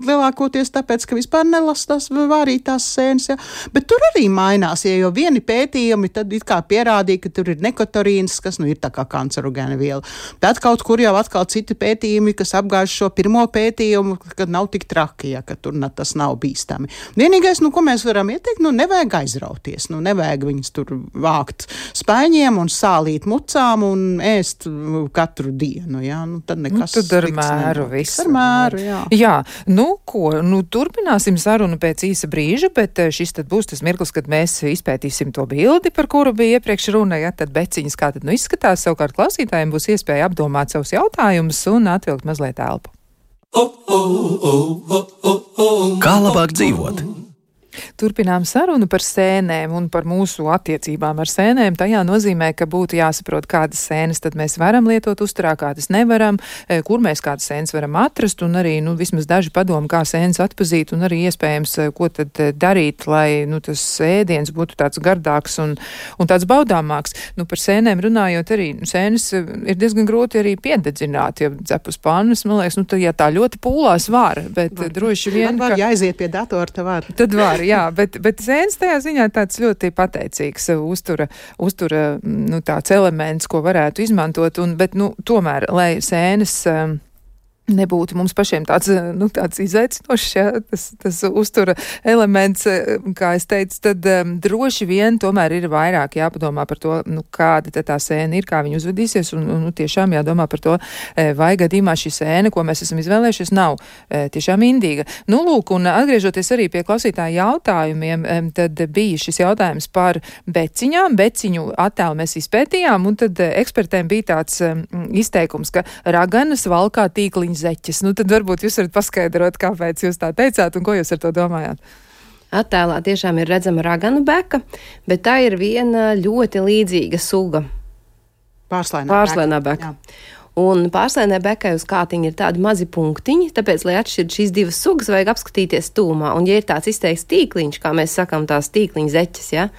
lielākoties tāpēc, ka vispār nelas tās vārītās sēnes, ja? Bet tur arī mainās, ja jau vieni pētījumi tad it kā pierādīja, ka tur ir nekotorīns, kas nu ir tā kā kancerogēna viela. Tad kaut kur jau atkal citi pētījumi, kas apgāž šo pirmo pētījumu, kad nav tik traki, ja, ka tur na, tas nav bīstami. Vienīgais, nu, ko mēs varam ieteikt, nu, nevajag aizrauties, nu, nevajag viņus tur vākt spaiņiem un sālīt mucām un ēst katru dienu, ja? Nu, tad nekas. Nu, tad ar mēru viss. Ar mēru, jā. Jā, nu ko, nu turpināsim sarunu pēc īsa brīža, bet šis tad būs tas mirklis, kad mēs izpētīsim to bildi, par kuru bija iepriekš runa, ja tad beciņas kā tad nu izskatās, savukārt klausītājiem būs iespēja apdomāt savus jautājumus un atvilkt mazliet elpu. Kā labāk dzīvot? Turpinām sarunu par sēnēm un par mūsu attiecībām ar sēnēm. Tajā nozīmē, ka būtu jāsaprot, kādas sēnes tad mēs varam lietot uzturā, kādas nevaram, kur mēs kādas sēnes varam atrast, un arī, nu, vismaz daži padomi, kā sēnes atpazīt, un arī iespējams, ko tad darīt, lai, nu, tas ēdiens būtu tāds gardāks un, un tāds baudāmāks. Nu, par sēnēm runājot arī, nu, sēnes ir diezgan grūti arī piededzināt, ja cepus pannas, man liekas, nu, tad, ja tā ļoti pūlās var, bet var. droši vien, var, var, ka... ja aiziet pie datora, tad var. Tad var. Jā, bet, bet sēnes tajā ziņā tāds ļoti pateicīgs uztura, uztura, nu, tāds elements, ko varētu izmantot, un, bet, nu, tomēr, lai sēnes um, nebūtu mums pašiem tāds, nu, tāds izaicinošs, ja, tas, tas uztura elements, kā es teicu, tad um, droši vien tomēr ir vairāk jāpadomā par to, nu, kāda tā sēna ir, kā viņa uzvedīsies, un, un nu, tiešām jādomā par to, vai gadījumā šī sēna, ko mēs esam izvēlējušies, nav tiešām indīga. Nu, lūk, un atgriežoties arī pie klausītāju jautājumiem, tad bija šis jautājums par beciņām, beciņu attēlu mēs izpētījām, un tad ekspertēm bija tāds um, izteikums, ka raganas valkā tīkliņas zeķes. Nu, tad varbūt jūs varat paskaidrot, kāpēc jūs tā teicāt un ko jūs ar to domājāt. Attēlā tiešām ir redzama raganu beka, bet tā ir viena ļoti līdzīga suga. Pārslainā, Pārslainā beka. beka. Un pārslainē bekai uz kātiņa ir tādi mazi punktiņi, tāpēc, lai atšķirtu šīs divas sugas, vajag apskatīties tūmā. Un, ja ir tāds izteikts tīkliņš, kā mēs sakam, tās tīkliņa zeķes, ja,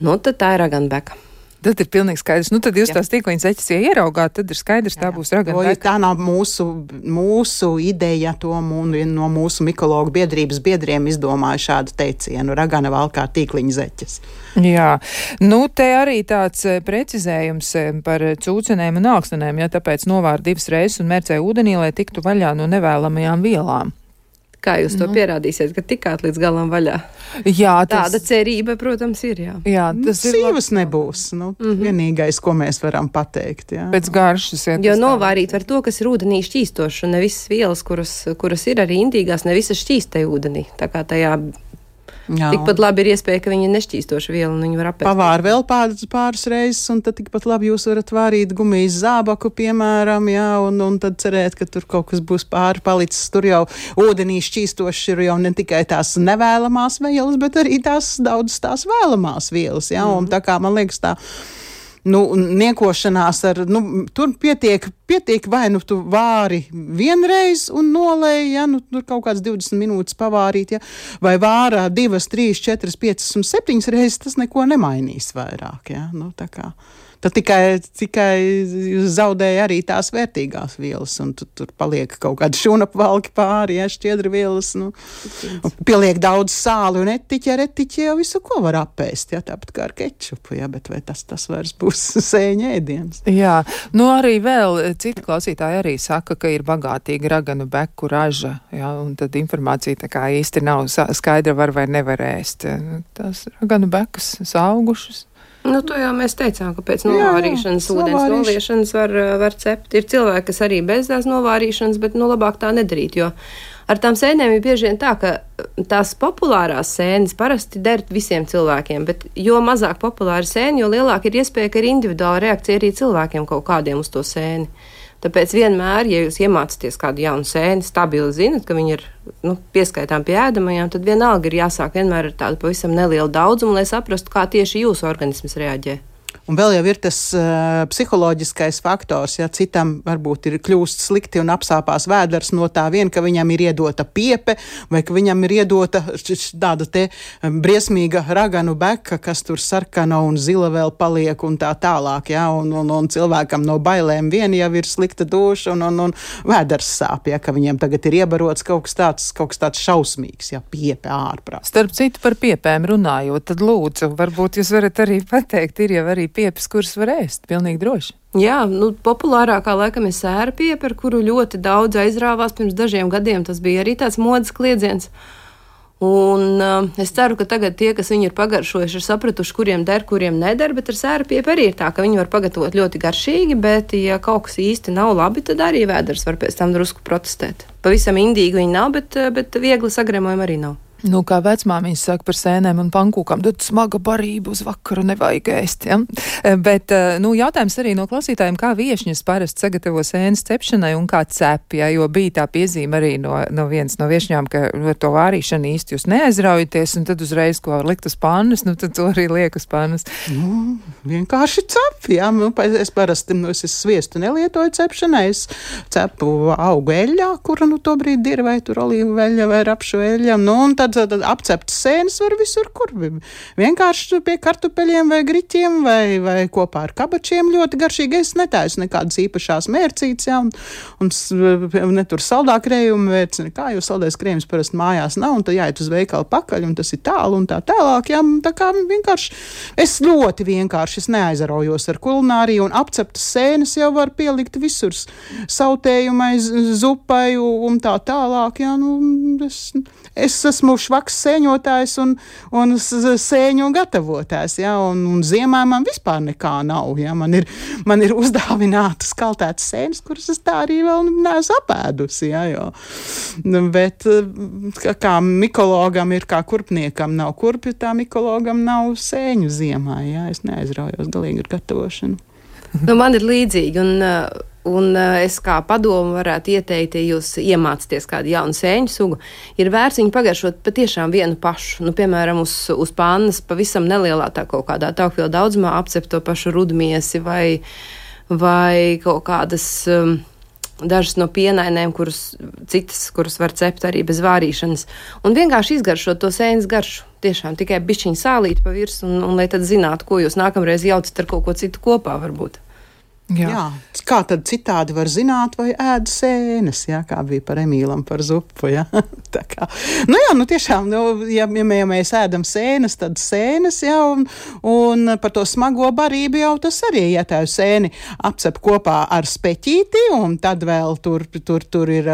nu, tad tā ir raganu beka. Tad ir pilnīgi skaidrs. Nu, tad jūs jā. tās tīkliņas zeķes, ja ieraugāt, tad ir skaidrs, jā, jā. tā būs raganu beka. Tā nav mūsu, mūsu ideja, to no mūsu mikologu biedrības biedriem izdomāja šādu teicienu - ragana valkā tīkliņa zeķes. Jā, nu te arī tāds precizējums par cūcenēm un alksnenēm, ja tāpēc novāra divas reizes un mērcē ūdenī, lai tiktu vaļā no nevēlamajām vielām. Kā jūs to nu. pierādīsiet, ka tikāt līdz galam vaļā? Jā, tas... Tāda cerība, protams, ir, jā. jā tas nu, ir sīvas nebūs, nu, mm-hmm. vienīgais, ko mēs varam pateikt, jā. Pēc garšas, jā. Jo novārīt var to, kas ir ūdenī šķīstoši, un ne visas vielas, kuras, kuras ir arī indīgās, ne visas šķīst tajā ūdenī. Tā kā tajā Jā. Tikpat labi ir iespēja, ka viņi ir nešķīstoša viela un viņi var apēst. Pavār vēl pāris, pāris reizes, un tad tikpat labi jūs varat vārīt gumijas zābaku, piemēram, jā, un, un tad cerēt, ka tur kaut kas būs pāri palicis. Tur jau ūdenī šķīstoši ir jau ne tikai tās nevēlamās vielas, bet arī tās daudz tās vēlamās vielas, jā, un tā kā man liekas tā, nu, niekošanās ar, nu, tur pietiek, pietiek vai nu tu vāri vienreiz un nolēji, ja, nu, tur kaut kāds divdesmit minūtes pavārīt, ja, vai vārā divas, trīs, četras, piecas un septiņas reizes, tas neko nemainīs vairāk, ja, nu, tā kā. Tad tikai, tikai zaudēja arī tās vērtīgās vielas, un tu, tur paliek kaut kādi šūnapvalki pāri, ja, šķiedri vielas, nu, pieliek daudz sāli un etiķi, ar etiķi jau visu, ko var apēst, ja, tāpat kā ar kečupu, ja, bet vai tas, tas vairs būs sēņa ēdiens? Jā, nu arī vēl citi klausītāji arī saka, ka ir bagātīga raganu beku raža, ja, un tad informācija tā kā īsti nav skaidra, var vai nevar ēst. Tās raganu bekas saugušas. Nu, to jau mēs teicām, ka pēc novārīšanas, jā, ūdens noliešanas var, var cept. Ir cilvēki, kas arī bez tās novārīšanas, bet, nu, labāk tā nedarīt, jo ar tām sēnēm ir bieži vien tā, ka tās populārās sēnes parasti der visiem cilvēkiem, bet jo mazāk populāri sēni, jo lielāka ir iespēja, ka ir individuāla reakcija arī cilvēkiem kaut kādiem uz to sēni. Tāpēc vienmēr, ja jūs iemācāties kādu jaunu sēni, stabili zinat, ka viņi ir, nu, pieskaitām pie ēdamajām, tad vienalga ir jāsāk vienmēr ar tādu pavisam nelielu daudzumu, lai saprastu, kā tieši jūsu organisms reaģē. Un vēl jau ir tas uh, psiholoģiskais faktors, ja citam varbūt ir kļūst slikti un apsāpās vēders no tā vien, ka viņam ir iedota piepe, vai ka viņam ir iedota tāda te briesmīga raganu beka, kas tur sarkana un zila vēl paliek un tā tālāk, ja, un, un, un cilvēkam no bailēm vien jau ir slikta duša un, un, un vēders sāp, ja, ka viņiem tagad ir iebarots kaut kas tāds, kaut kas tāds šausmīgs, ja, piepe ārprāt. Starp citu par piepēm runājot, tad lūdzu, varbūt jūs varat arī pateikt, ir jau arī piepes, kuras var ēst, pilnīgi droši. Jā, nu, populārākā laikam ir sēra piepe, ar kuru ļoti daudz aizrāvās pirms dažiem gadiem. Tas bija arī tāds modes kliedziens. Un uh, es ceru, ka tagad tie, kas viņu ir pagaršojuši, ir sapratuši, kuriem der, kuriem neder, bet ar sēra piepe arī ir tā, ka viņi var pagatavot ļoti garšīgi, bet ja kaut kas īsti nav labi, tad arī vēders var pēc tam drusku protestēt. Pavisam indīgi viņi nav, bet, bet viegli sagremojumi arī nav. Nu, kā vecmāmiņas saka par sēnēm un pankūkām, tad smaga barība uz vakaru nevajag ēst, ja? Bet, nu, jautājums arī no klausītājiem, kā viešņas parasti sagatavo sēnes cepšanai un kā cep, ja? Jo bija tā piezīme arī no, no vienas no viešņām, ka ar to vārīšanu īsti jūs neaizraujaties, un tad uzreiz, ko var likt uz pannas, nu, tad to arī liek uz pannas. Nu, vienkārši cep, jā, nu, es parasti, nu, es sviestu nelietoju cepšanai, es cepu augu eļļā, kura, nu, to brīdi ir, vai tur olīvu eļļa, vai rapšu eļļa, nu, un tad tad apceptas sēnes var visur, kur vienkārši pie kartupeļiem vai griķiem vai, vai kopā ar kabačiem ļoti garšīgi. Es netaisu nekādas īpašās mērcītes, jā, un, un ne tur saldā krējuma vērts, nekā, jo saldais krējums parasti mājās nav, un tad jāiet uz veikalu pakaļ, un tas ir tālu un tā tālāk, jā, tā kā vienkārši, es ļoti vienkārši, es neaizaraujos ar kulināriju, un apceptas sēnes jau var pielikt visur sautējumai, zupai un tā tālāk, jā, nu, es, es esmu švaks sēņotājs un, un sēņu gatavotājs, ja, un, un ziemā man vispār nekā nav, ja, man ir, man ir uzdāvinātas kaltētas sēnes, kuras es tā arī vēl neesmu apēdusi, ja, jo, bet kā mikologam ir kā kurpniekam nav kurpju, tā mikologam nav sēņu ziemā, ja, es neaizraujos galīgi ar gatavošanu. Nu, man ir līdzīgi, un Un es kā padomu varētu ieteikt, ja jūs iemācāties kādu jaunu sēņu sugu, ir vērts viņu pagaršot patiešām vienu pašu. Nu, piemēram, uz, uz pannas pavisam nelielā tā kaut kādā taukvielu daudzumā apcept to pašu rudmiesi vai, vai kaut kādas um, dažas no pienainēm, kuras citas, kuras var cept arī bez vārīšanas. Un vienkārši izgaršot to sēnes garšu. Tiešām tikai bišķiņu sālīt pa virs, un, un lai tad zinātu, ko jūs nākamreiz jaucat ar kaut ko citu kopā varbūt. Jā. Jā, kā tad citādi var zināt, vai ēd sēnes, jā, kā bija par Emīlam par zupu, jā. Tā kā, nu jā, nu tiešām, nu, ja, ja mēs ēdam sēnes, tad sēnes, jā, un, un par to smago barību jau tas arī, ja tā sēni apcep kopā ar speķīti, un tad vēl tur, tur, tur ir,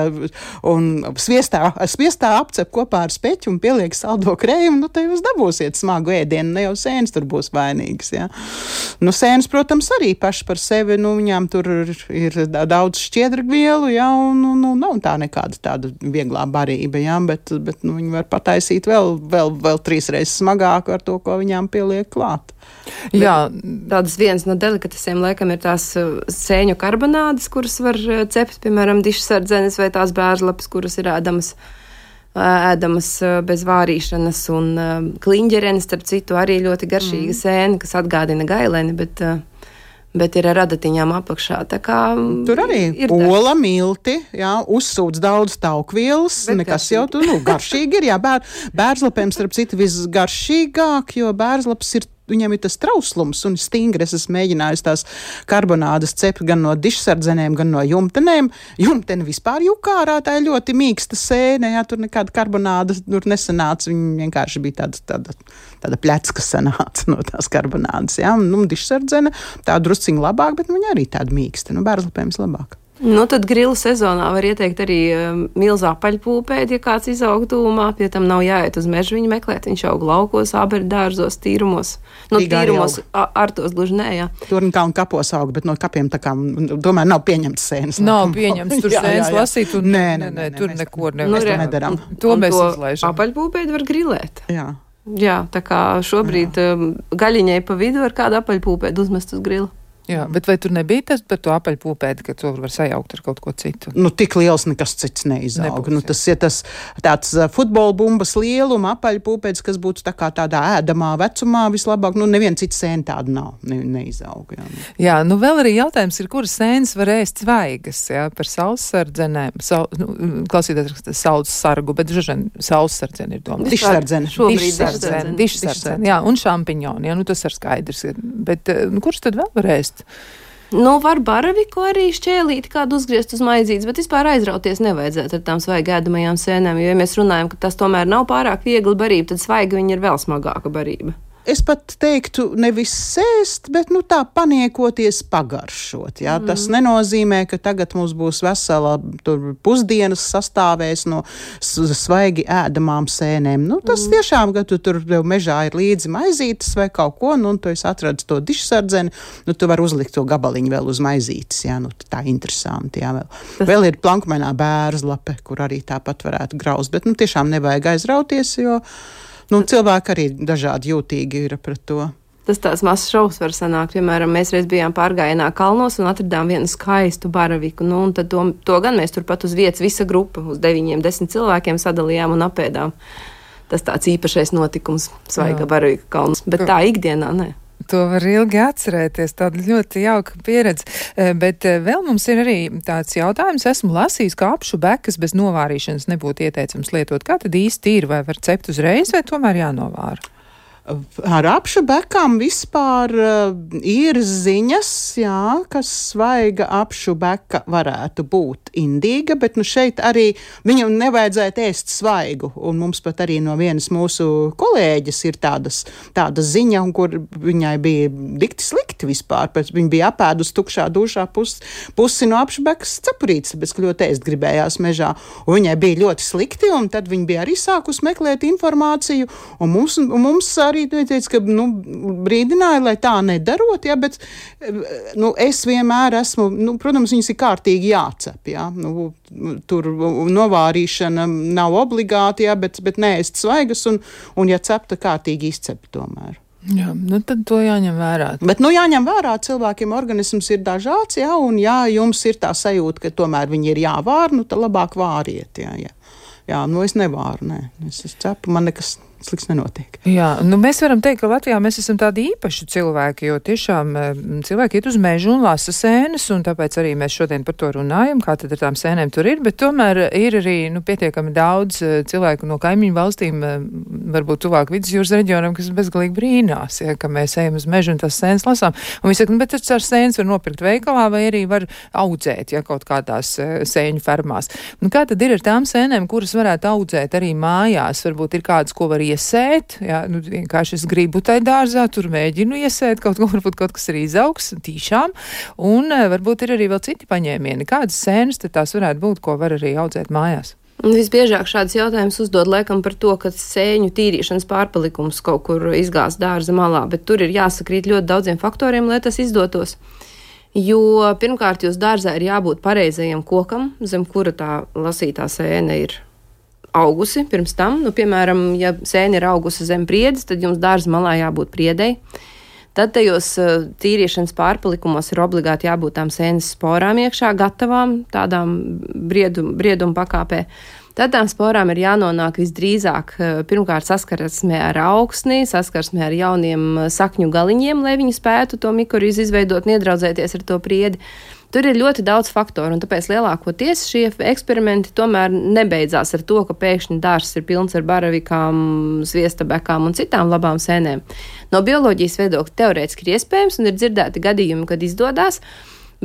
un sviestā, sviestā apcep kopā ar speķi un pieliek saldo krējumu, nu, tad jūs dabūsiet smagu ēdienu, ne jau sēnes tur būs vainīgas, jā. Nu, sēnes, protams, arī paši par sevi, nu, nu, viņām tur ir daudz šķiedrvielu, jā, un, un, un nav tā nekāda tāda vieglā barība, jā, bet, bet nu, viņi var pataisīt vēl, vēl, vēl trīs reizes smagāku ar to, ko viņām pieliek klāt. Jā, tādas viens no delikatesiem laikam ir tās sēņu karbonādes, kuras var cept, piemēram, dišsardzenes vai tās bērzlapas, kuras ir ēdamas. ēdamas bez vārīšanas, un kliņģerenes, starp citu, arī ļoti garšīga mm. sēne, kas atgādina gaileni, bet, bet ir ar adatiņām apakšā. Tā kā tur arī ir ola, milti, jā, uzsūdz daudz taukvielas, bet nekas garšīgi. Jau tu, nu, garšīgi ir, jā, bēr, bērzlapēm, starp citu, visgaršīgāk, jo bērzlaps ir viņam ir tas trauslums un stingri. Es esmu mēģinājis tās karbonādas cept gan no dišsardzenēm, gan no jumtenēm. Jumteni vispār jukārā, tā ir ļoti mīksta sēne, jā, tur nekāda karbonāda tur nesanāca, viņa vienkārši bija tāda, tāda, tāda plecka sanāca no tās karbonādas, jā, un nu, dišsardzene tā drusciņi labāk, bet viņa arī tāda mīksta, nu, bērzlapēm vislabāk. Nu, tad grilu sezonā var ieteikt arī um, milzā paļpūpēdi, ja kāds izaug tūmā, pie tam nav jāiet uz mežu viņu meklēt, viņš aug laukos, ābeļu dārzos, tīrumos. Nu, Rīgā tīrumos ar tos gluži nē, jā. Tur un kā un kapos aug, bet no kapiem tā kā, domāju, nav pieņemts sēnes. Nav pieņemts tur sēnes lasīt, un nē, nē, nē, tur neko nevar. Mēs to nedaram. To mēs izlaižam. Apaļpūpēdi var grilēt. Jā. Jā, tā kā šobrīd um, gaļiņai pa vidu var kādu apaļpūpēdi uzmest uz grilu. Jā, bet vai tur nebija tas par to apaļpūpēdi, ka to var sajaukt ar kaut ko citu? Nu, tik liels nekas cits neizaug. Nebūs, nu, tas ir tas tāds futbola bumbas lieluma apaļpūpēdis, kas būtu tā kā tādā ēdamā vecumā vislabāk. Nu, neviena cita sēna tāda nav, ne, neizaug. Jā. jā, nu vēl arī jautājums ir, kuras sēnes var ēst svaigas, jā, par saussardzenēm. Sau, nu, klausīties saules sargu, bet žažen saussardzene ir domāts. Dišsardzene. Dišsardzene, dišsardzene, jā, un šampiņoni, jā, nu tas ir skaidrs. Bet nu, kurš tad vēl var ēst? Nu, var baraviku arī šķēlīt, kādu uzgriezt uz maizītes, bet vispār aizrauties nevajadzētu ar tām svaigi ēdamajām sēnēm, jo, ja mēs runājam, ka tas tomēr nav pārāk viegli barība, tad svaigi viņa ir vēl smagāka barība. Es pat teiktu, nevis sēst, bet nu tā paniekoties pagaršot. Jā? Mm. Tas nenozīmē, ka tagad mums būs vesela tur pusdienas sastāvēs no svaigi ēdamām sēnēm. Nu, tas mm. tiešām, ka tu tur mežā ir līdzi maizītes vai kaut ko, nu, un tu esi atradis to dišsardzeni, nu, tu vari uzlikt to gabaliņu vēl uz maizītes. Jā? Nu, tā interesanti. Jā, vēl. Tas... vēl ir plankmēnā bērzlape, kur arī tāpat varētu graust, bet nu, tiešām nevajag aizrauties, jo nu, cilvēki arī dažādi jūtīgi ir pret to. Tas tāds mazs šovs var sanākt. Piemēram, mēs reiz bijām pārgājienā kalnos un atradām vienu skaistu baraviku. Nu, un tad to, to gan mēs turpat uz vietas visa grupa, uz deviņiem, desmit cilvēkiem sadalījām un apēdām. Tas tāds īpašais notikums, svaiga baravika kalns. Bet tā ikdienā, ne. To var ilgi atcerēties, tāda ļoti jauka pieredze. Bet vēl mums ir arī tāds jautājums. Esmu lasījis, ka apšu bekas bez novārīšanas nebūtu ieteicams lietot. Kā tad īsti ir? Vai var cept uzreiz, vai tomēr jānovāra? Ar apšu bekām vispār uh, ir ziņas, jā, ka svaiga apšu beka varētu būt indīga, bet nu šeit arī viņu nevajadzētu ēst svaigu. Un mums pat arī no vienas mūsu kolēģis ir tādas, tāda ziņa, kur viņai bija dikti slikti vispār, pēc viņa bija apēdus tukšā dušā pus, pusi no apšu bekas cepurītes, tāpēc, ka ļoti ēst gribējās mežā. Un viņai bija ļoti slikti, un tad viņa bija arī sākus meklēt informāciju, un mums, un mums arī teica, ka nu, brīdināja, lai tā nedarot, ja, bet nu, es vienmēr esmu, nu, protams, viņas ir kārtīgi jācep, ja, nu, tur novārīšana nav obligāti, ja, bet, bet neēst svaigas un, un ja cepta kārtīgi izcep tomēr. Jā, nu tad to jāņem vērā. Bet, nu, jāņem vērā, cilvēkiem organisms ir dažāds, jā, un jā, jums ir tā sajūta, ka tomēr viņi ir jāvār, nu, tad labāk vāriet, jā, jā. Jā, nu, es nevāru, nē, es, es cepu, man nekas slikts nenotiek. Jā, nu mēs varam teikt, ka Latvijā mēs esam tādi īpaši cilvēki, jo tiešām cilvēki iet uz mežu un lasa sēnes, un tāpēc arī mēs šodien par to runājam, kā tad ar tām sēnēm tur ir, bet tomēr ir arī, nu, pietiekami daudz cilvēku no kaimiņu valstīm, varbūt tuvāk vidusjūras reģionam, kas bezgalīgi brīnās, ja, ka mēs ejam uz mežu un tās sēnes lasām. Un viņi saka, nu, bet tas ar sēnes var nopirkt veikalā vai arī var audzēt, ja, kaut kādās sēņu fermās. Nu, kā tad ir ar tām sēnēm, kuras varētu audzēt arī mājās? Varbūt ir kādas, ko var iesēt, jā, nu, vienkārši es gribu tai dārzā, tur mēģinu iesēt kaut ko, varbūt kaut kas arī izaugs tīšām, un varbūt ir arī vēl citi paņēmieni. Kādas sēnes tad tās varētu būt, ko var arī audzēt mājās? Un visbiežāk šāds jautājums uzdod laikam par to, ka sēņu tīrīšanas pārpalikums kaut kur izgāz dārza malā, bet tur ir jāsakrīt ļoti daudziem faktoriem, lai tas izdotos. Jo pirmkārt, jūs dārzā ir jābūt pareizajam kokam, zem kura tā lasītā sēne ir augusi pirms tam. Nu, piemēram, ja sēne ir augusi zem priedes, tad jums dārza malā jābūt priedei. Tad tajos tīriešanas pārpalikumos ir obligāti jābūt tām sēnes sporām iekšā, gatavām tādām briedum, brieduma pakāpē. Tad tām sporām ir jānonāk visdrīzāk pirmkārt saskarsmē ar augsni, saskarsmē ar jauniem sakņu galiņiem, lai viņi spētu to mikorīzu izveidot, iedraudzēties ar to priedi. Tur ir ļoti daudz faktoru, un tāpēc lielākoties šie eksperimenti tomēr nebeidzās ar to, ka pēkšņi dārzs ir pilns ar baravikām, zviestabekām un citām labām sēnēm. No bioloģijas viedokļa teorētiski ir iespējams, un ir dzirdēti gadījumi, kad izdodās,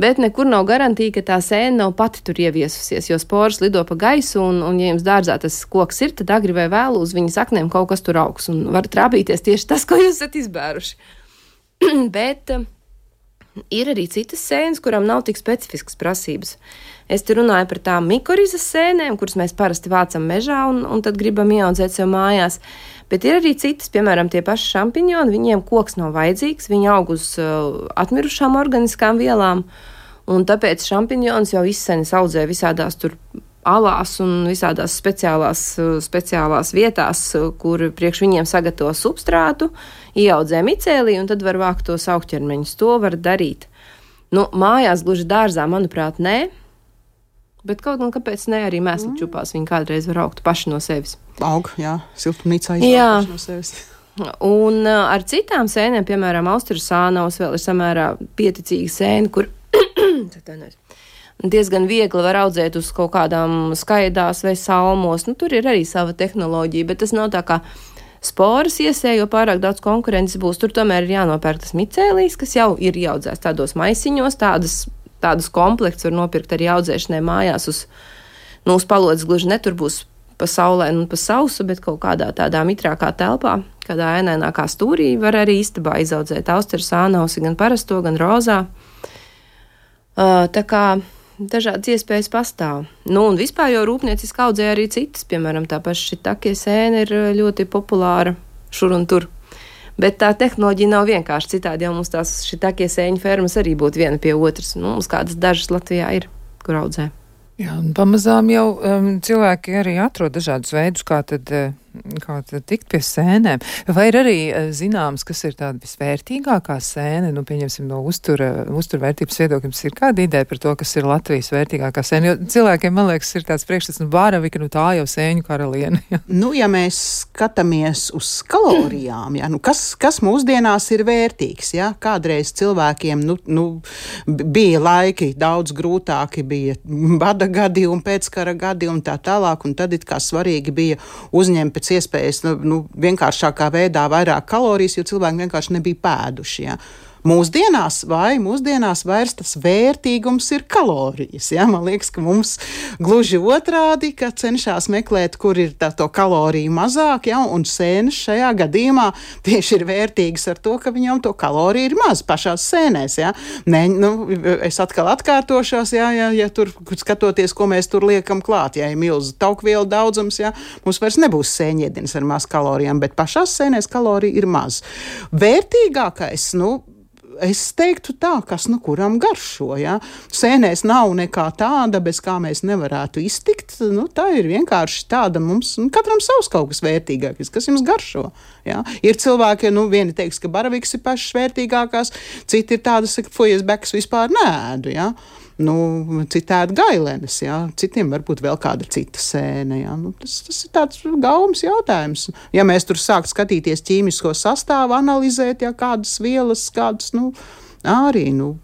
bet nekur nav garantija, ka tā sēne nav pati tur ieviesusies, jo sporas lido pa gaisu, un, un ja jums dārzā tas koks ir, tad agri vai vēlu uz viņa saknēm kaut kas tur augs, un var trāpīties tieši tas, ko jūs esat izbēruši. Bet ir arī citas sēnes, kurām nav tik specifiskas prasības. Es te runāju par tām mikorizas sēnēm, kuras mēs parasti vācam mežā un, un tad gribam ieaudzēt sev mājās. Bet ir arī citas, piemēram, tie paši šampiņoni, viņiem koks nav vajadzīgs, viņi aug uz uh, atmirušām organiskām vielām, un tāpēc šampiņons jau izsenis audzē visādās tur alās un visādās speciālās, uh, speciālās vietās, uh, kur priekš viņiem sagatavo substrātu, ieaudzē micēlī, un tad var vākt tos augķermeņus. To var darīt. Nu, mājās gluži dārzā, manuprāt, nē, bet kaut gan kāpēc ne, arī mēslu čupās viņi kādreiz var augt paši no sevis. Aug, jā, siltumnīcā izaugt no sevis. Un uh, ar citām sēnēm, piemēram, Austrijas sānaus vēl ir samērā pieticīga sēne, kur diezgan viegli var audzēt uz kaut kādām skaidās vai salmos. Nu, tur ir arī sava tehnoloģija, bet tas nav tā kā sporas iesē, jo pārāk daudz konkurences būs. Tur tomēr ir jānopērk tas micēlīs, kas jau ir ieaudzēts tādos maisiņos, tādas, tādus komplekts var nopirkt arī audzēšanai mājās uz, nu, uz palodzes gluži ne, tur būs pa saulē un pa sausu, bet kaut kādā tādā mitrākā telpā, kādā ēnainākā stūrī var arī istabā izaudzēt Austrijas sānausi, gan parasto, gan rozā. Uh, tā kā dažādas iespējas pastāv. Nu, un vispār jau rūpnieciski audzē arī citas, piemēram, tā paša šitakie sēne ir ļoti populāra šur un tur. Bet tā tehnoloģija nav vienkārši citādi, jau mums tās šitakie sēņu fermas arī būtu viena pie otras. Nu, mums kādas dažas Latvijā ir, kur audzē. Jā, un pamazām jau um, cilvēki arī atrod dažādus veidus, kā tad, kā tad tikt pie sēnēm. Vai ir arī zināms, kas ir tāda visvērtīgākā sēne? Nu, pieņemsim, no uztura, uzturvērtības viedokļiem, ir kāda ideja par to, kas ir Latvijas vērtīgākā sēne? Jo cilvēkiem, man liekas, ir tāds priekšstats, nu, bāravika, nu, tā jau sēņu karaliene. Nu, ja mēs skatāmies uz kalorijām, ja, nu, kas, kas mūsdienās ir vērtīgs, ja? Kādreiz cilvēkiem, nu, nu, bija laiki daudz grūtāki, bija bada gadi un pēckara gadi un tā tālāk, un tad it kā svarīgi bija uzņemt pēc iespējas, nu, nu, vienkāršākā veidā vairāk kalorijas, jo cilvēki vienkārši nebija pēduši, ja. Mūsdienās vai mūsdienās vairs tas vērtīgums ir kalorijas. Ja? Man liekas, ka mums gluži otrādi, ka cenšas meklēt, kur ir tā, to kaloriju mazāk, ja? Un sēnes šajā gadījumā tieši ir vērtīgas ar to, ka viņam to kaloriju ir maz pašās sēnēs. Ja? Ne, nu, es atkal atkārtošos, ja, ja, ja tur skatoties, ko mēs tur liekam klāt, ja ir milzu taukvielu daudzums, ja? Mums vairs nebūs sēņiedienas ar maz kalorijām, bet pašās sēnēs kalorija ir maz. Vērtīgākais, nu, es teiktu tā, kas nu kuram garšo, ja? Sēnēs nav nekā tāda, bez kā mēs nevarētu iztikt, nu tā ir vienkārši tāda mums, nu, katram savs kaut kas vērtīgākais, kas jums garšo, ja? Ir cilvēki, nu vieni teiks, ka baraviks ir pašas vērtīgākās, citi ir tādas, ka fojas bekas vispār neēdu, ja? Nu, citādi gailenes, jā. Citiem varbūt vēl kāda cita sēne, jā. Nu, tas, tas ir tāds gaumas jautājums. Ja mēs tur sākt skatīties ķīmisko sastāvu, analizēt, jā, kādas vielas, kādas, nu, arī, nu,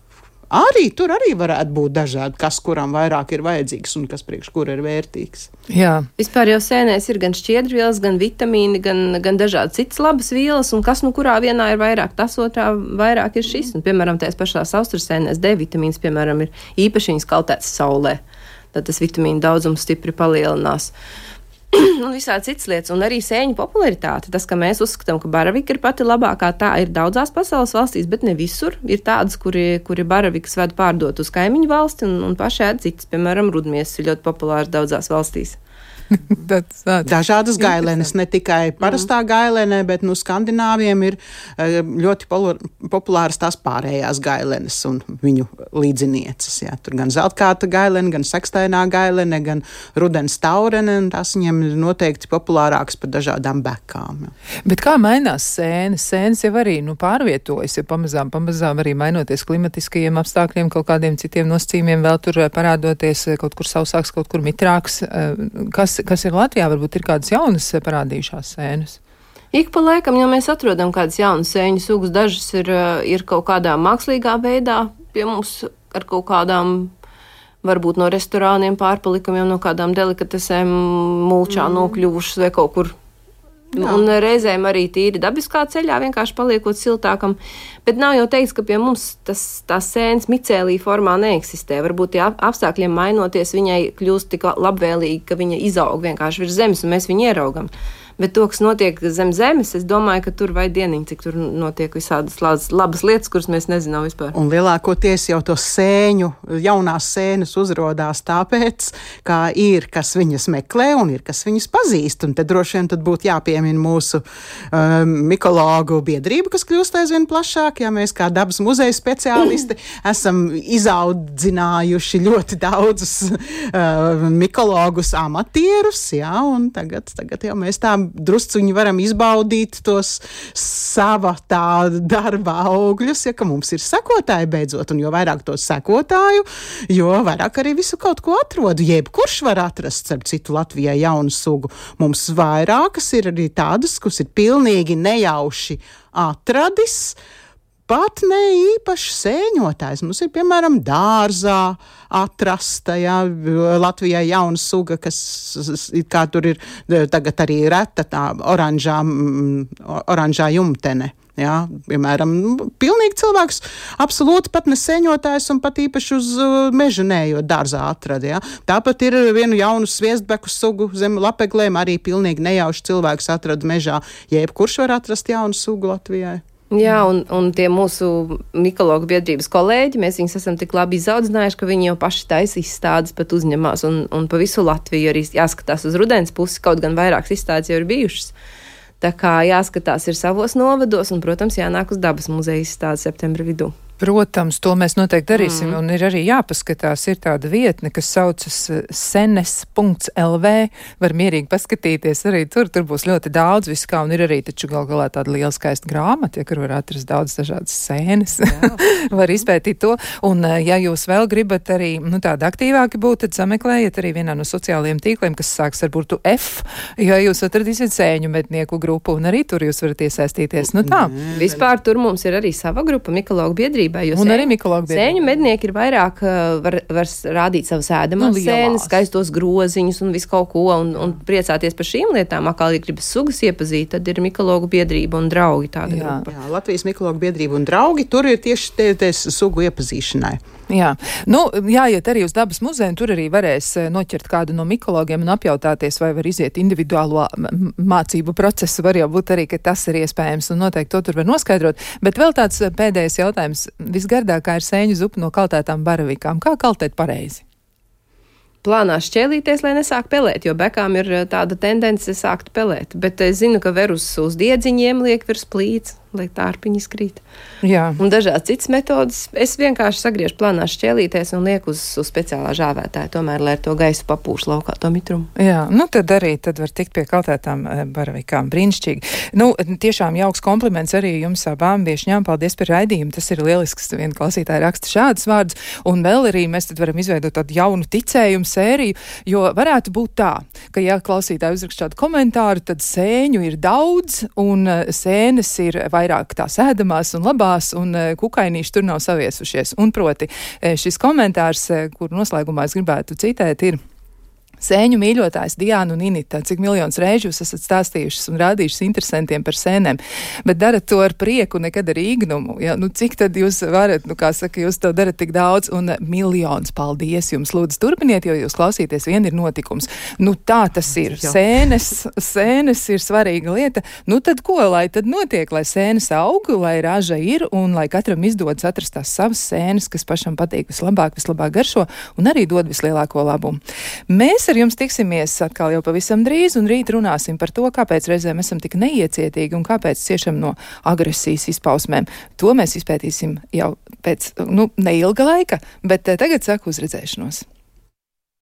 arī tur arī varētu būt dažādi, kas kuram vairāk ir vajadzīgs un kas priekš kur ir vērtīgs. Jā. Vispār jau sēnēs ir gan šķiedrvielas, gan vitamīni, gan, gan dažādi citas labas vielas, un kas nu kurā vienā ir vairāk, tas otrā vairāk ir šis. Un, piemēram, tās pašās Austrijas sēnēs D vitamīns, piemēram, ir īpaši viņas kaltēts saulē. Tad tas vitamīnu daudzums stipri palielinās. Un visādi citas lietas, un arī sēņu popularitāte. Tas, ka mēs uzskatām, ka baravika ir pati labākā, tā ir daudzās pasaules valstīs, bet ne visur. Ir tādas, kuri, kuri baravikas ved pārdot uz kaimiņu valsti un, un paši ēd citas. Piemēram, rudmiesas ir ļoti populārs daudzās valstīs. Tāds, tāds. Dažādas gailenes, ne tikai parastā gailene, bet nu, skandināviem ir ļoti populāras tās pārējās gailenes un viņu līdzinieces. Jā. Tur gan zeltkāta gailene, gan sekstainā gailene, gan rudens taurene, un tās viņiem ir noteikti populārākas par dažādām bekām. Jā. Bet kā mainās sēnes? Sēnes jau arī nu, pārvietojas, ja pamazām, pamazām arī mainoties klimatiskajiem apstākļiem, kaut kādiem citiem nosacījumiem, vēl tur parādoties kaut kur sausāks, kaut kur mitrāks. Kas, kas ir Latvijā? Varbūt ir kādas jaunas parādījušās sēnes? Ik pa laikam, ja mēs atrodam kādas jaunas sēņu sugas, dažas ir, ir kaut kādā mākslīgā veidā pie mums ar kaut kādām, varbūt no restorāniem pārpalikumiem, no kādām delikatesēm mulčā mm. nokļuvušas vai kaut kur. Jā. Un reizēm arī tīri dabiskā ceļā, vienkārši paliekot siltākam. Bet nav jau teiks, ka pie mums tas, tās sēnes micēlī formā neeksistē. Varbūt tie apstākļiem mainoties, viņai kļūst tik labvēlīgi, ka viņa izaug vienkārši virs zemes un mēs viņu ieraugam. Bet to, kas notiek zem zemes, es domāju, ka tur vai dieniņ, cik tur notiek visādas labas, labas lietas, kuras mēs nezinām vispār. Un lielākoties jau to sēņu, jaunās sēnes uzrodās tāpēc, kā ir, kas viņas meklē un ir, kas viņas pazīst. Un te droši vien tad būtu jāpiemina mūsu um, mikologu biedrība, kas kļūst aizvien plašāk, ja mēs kā dabas muzeja speciālisti esam izaudzinājuši ļoti daudzus uh, mikologus amatierus, jā, un tagad, tagad jau mēs tā drusciņi varam izbaudīt tos sava tā darba augļus, ja ka mums ir sekotāji beidzot, un jo vairāk to sekotāju, jo vairāk arī visu kaut ko atrodu. Jebkurš var atrast, starp citu, Latvijai jaunu sugu. Mums vairākas ir arī tādas, kas ir pilnīgi nejauši atradis, pat ne īpaši sēņotājs. Mums ir, piemēram, dārzā atrasta, jā, Latvijai jauna suga, kas kā tur ir tagad arī reta tā oranžā, oranžā jumtene. Jā, piemēram, pilnīgi cilvēks absolūti pat ne sēņotājs un pat īpaši uz meža neejot dārzā atrada. Jā. Tāpat ir vienu jaunu sviestbeku sugu zem lapeglēm, arī pilnīgi nejauši cilvēks atrada mežā. Jebkurš var atrast jaunu sugu Latvijai. Jā, un, un tie mūsu mikologu biedrības kolēģi, mēs viņus esam tik labi izaudzinājuši, ka viņi jau paši taisa izstādes pat uzņemās, un, un pa visu Latviju arī jāskatās uz rudens pusi, kaut gan vairākas izstādes jau ir bijušas. Tā kā jāskatās ir savos novados, un, protams, jānāk uz dabas muzeja izstādes septembra vidū. Protams, to mēs noteikti darīsim, mm. un ir arī jāpaskatās, ir tāda vietne, kas saucas senes punkts el vē, var mierīgi paskatīties arī tur, tur būs ļoti daudz viskā, un ir arī taču gal galā tāda liela skaista grāmata, ja, kur var atrast daudz dažādas sēnes, var izpētīt to, un ja jūs vēl gribat arī, nu tāda aktīvāki būt, tad sameklējiet arī vienā no sociālajiem tīkliem, kas sāks ar burtu F, jo jūs atradīsiet sēņu mednieku grupu, un arī tur jūs varat iesaistīties, nu tā. Mm. Vispār tur mums ir arī sava grupa, mikologu biedrība. Un arī mikologu biedrība. Sēņu mednieki ir vairāk, var, var rādīt savas ēdamās nu, sēnes, skaistos groziņus un visu kaut ko, un, un priecāties par šīm lietām. Akā ja gribas sugas iepazīt, tad ir mikologu biedrība un draugi tāda jā. grupa. Jā, Latvijas mikologu biedrība un draugi, tur ir tieši tie, tie sugu iepazīšanai. Jā, nu, jāiet arī uz dabas muzeju, un tur arī varēs noķert kādu no mikologiem un apjautāties, vai var iziet individuālo mācību procesu, var jau būt arī, ka tas ir iespējams, un noteikti to tur var noskaidrot. Bet vēl tāds pēdējais jautājums. Visgardākā ir sēņu zupa no kaltētām baravikām. Kā kaltēt pareizi? Plānā šķēlīties, lai nesāk pelēt, jo bekām ir tāda tendence sākt pelēt. Bet es zinu, ka ver uz, uz diedziņiem liek virs plīts, lai tārpiņi skrīt. Jā. Un dažādas citas metodas. Es vienkārši sagriežu plānā šķēlīties un lieku uz, uz speciālā žāvētāja, tomēr, lai ar to gaisu papūš laukā to mitrumu. Jā, nu tad arī tad var tikt pie kaltētām baravikām. Brīnišķīgi. Nu, tiešām jauks kompliments arī jums abām viešņām. Paldies par raidījumu. Tas ir lielisks. Viena klausītāja raksta šādus vārdus. Un vēl arī mēs tad varam izveidot tādu jaunu ticējumu sēriju, jo varētu būt tā, ka ja klausītāji uzrakst šādu komentāru, tad sēņu ir daudz un sēnes ir vairāk tās ēdamās un labās, un kukainīši tur nav saviesušies. Un proti, šis komentārs, kur noslēgumā es gribētu citēt, ir: Sēņu mīļotājs Diana un Inita, cik miljonus reižu jūs esat stāstījušas un rādījušas interesantiem par sēnēm, bet darat to ar prieku, nekad ar īgnumu. Ja? Nu, cik tad jūs varat, nu kā saka, jūs to darat tik daudz, un miljons paldies jums. Lūdzu, turpiniet, jo jūs klausīties, vien ir notikums. Nu tā tas ir. Sēnes, sēnes ir svarīga lieta. Nu tad ko, lai tad notiek, lai sēnes aug, lai raža ir, un lai katram izdodas atrast tās savas sēnes, kas pašam patīk vislabāk, vislabāk garšo, un arī dod vislielāko labumu. Mēs Mēs ar jums tiksimies atkal jau pavisam drīz, un rīt runāsim par to, kāpēc reizēm esam tik neiecietīgi un kāpēc ciešam no agresijas izpausmēm. To mēs izpētīsim jau pēc, nu, neilga laika, bet tagad saku uz redzēšanos.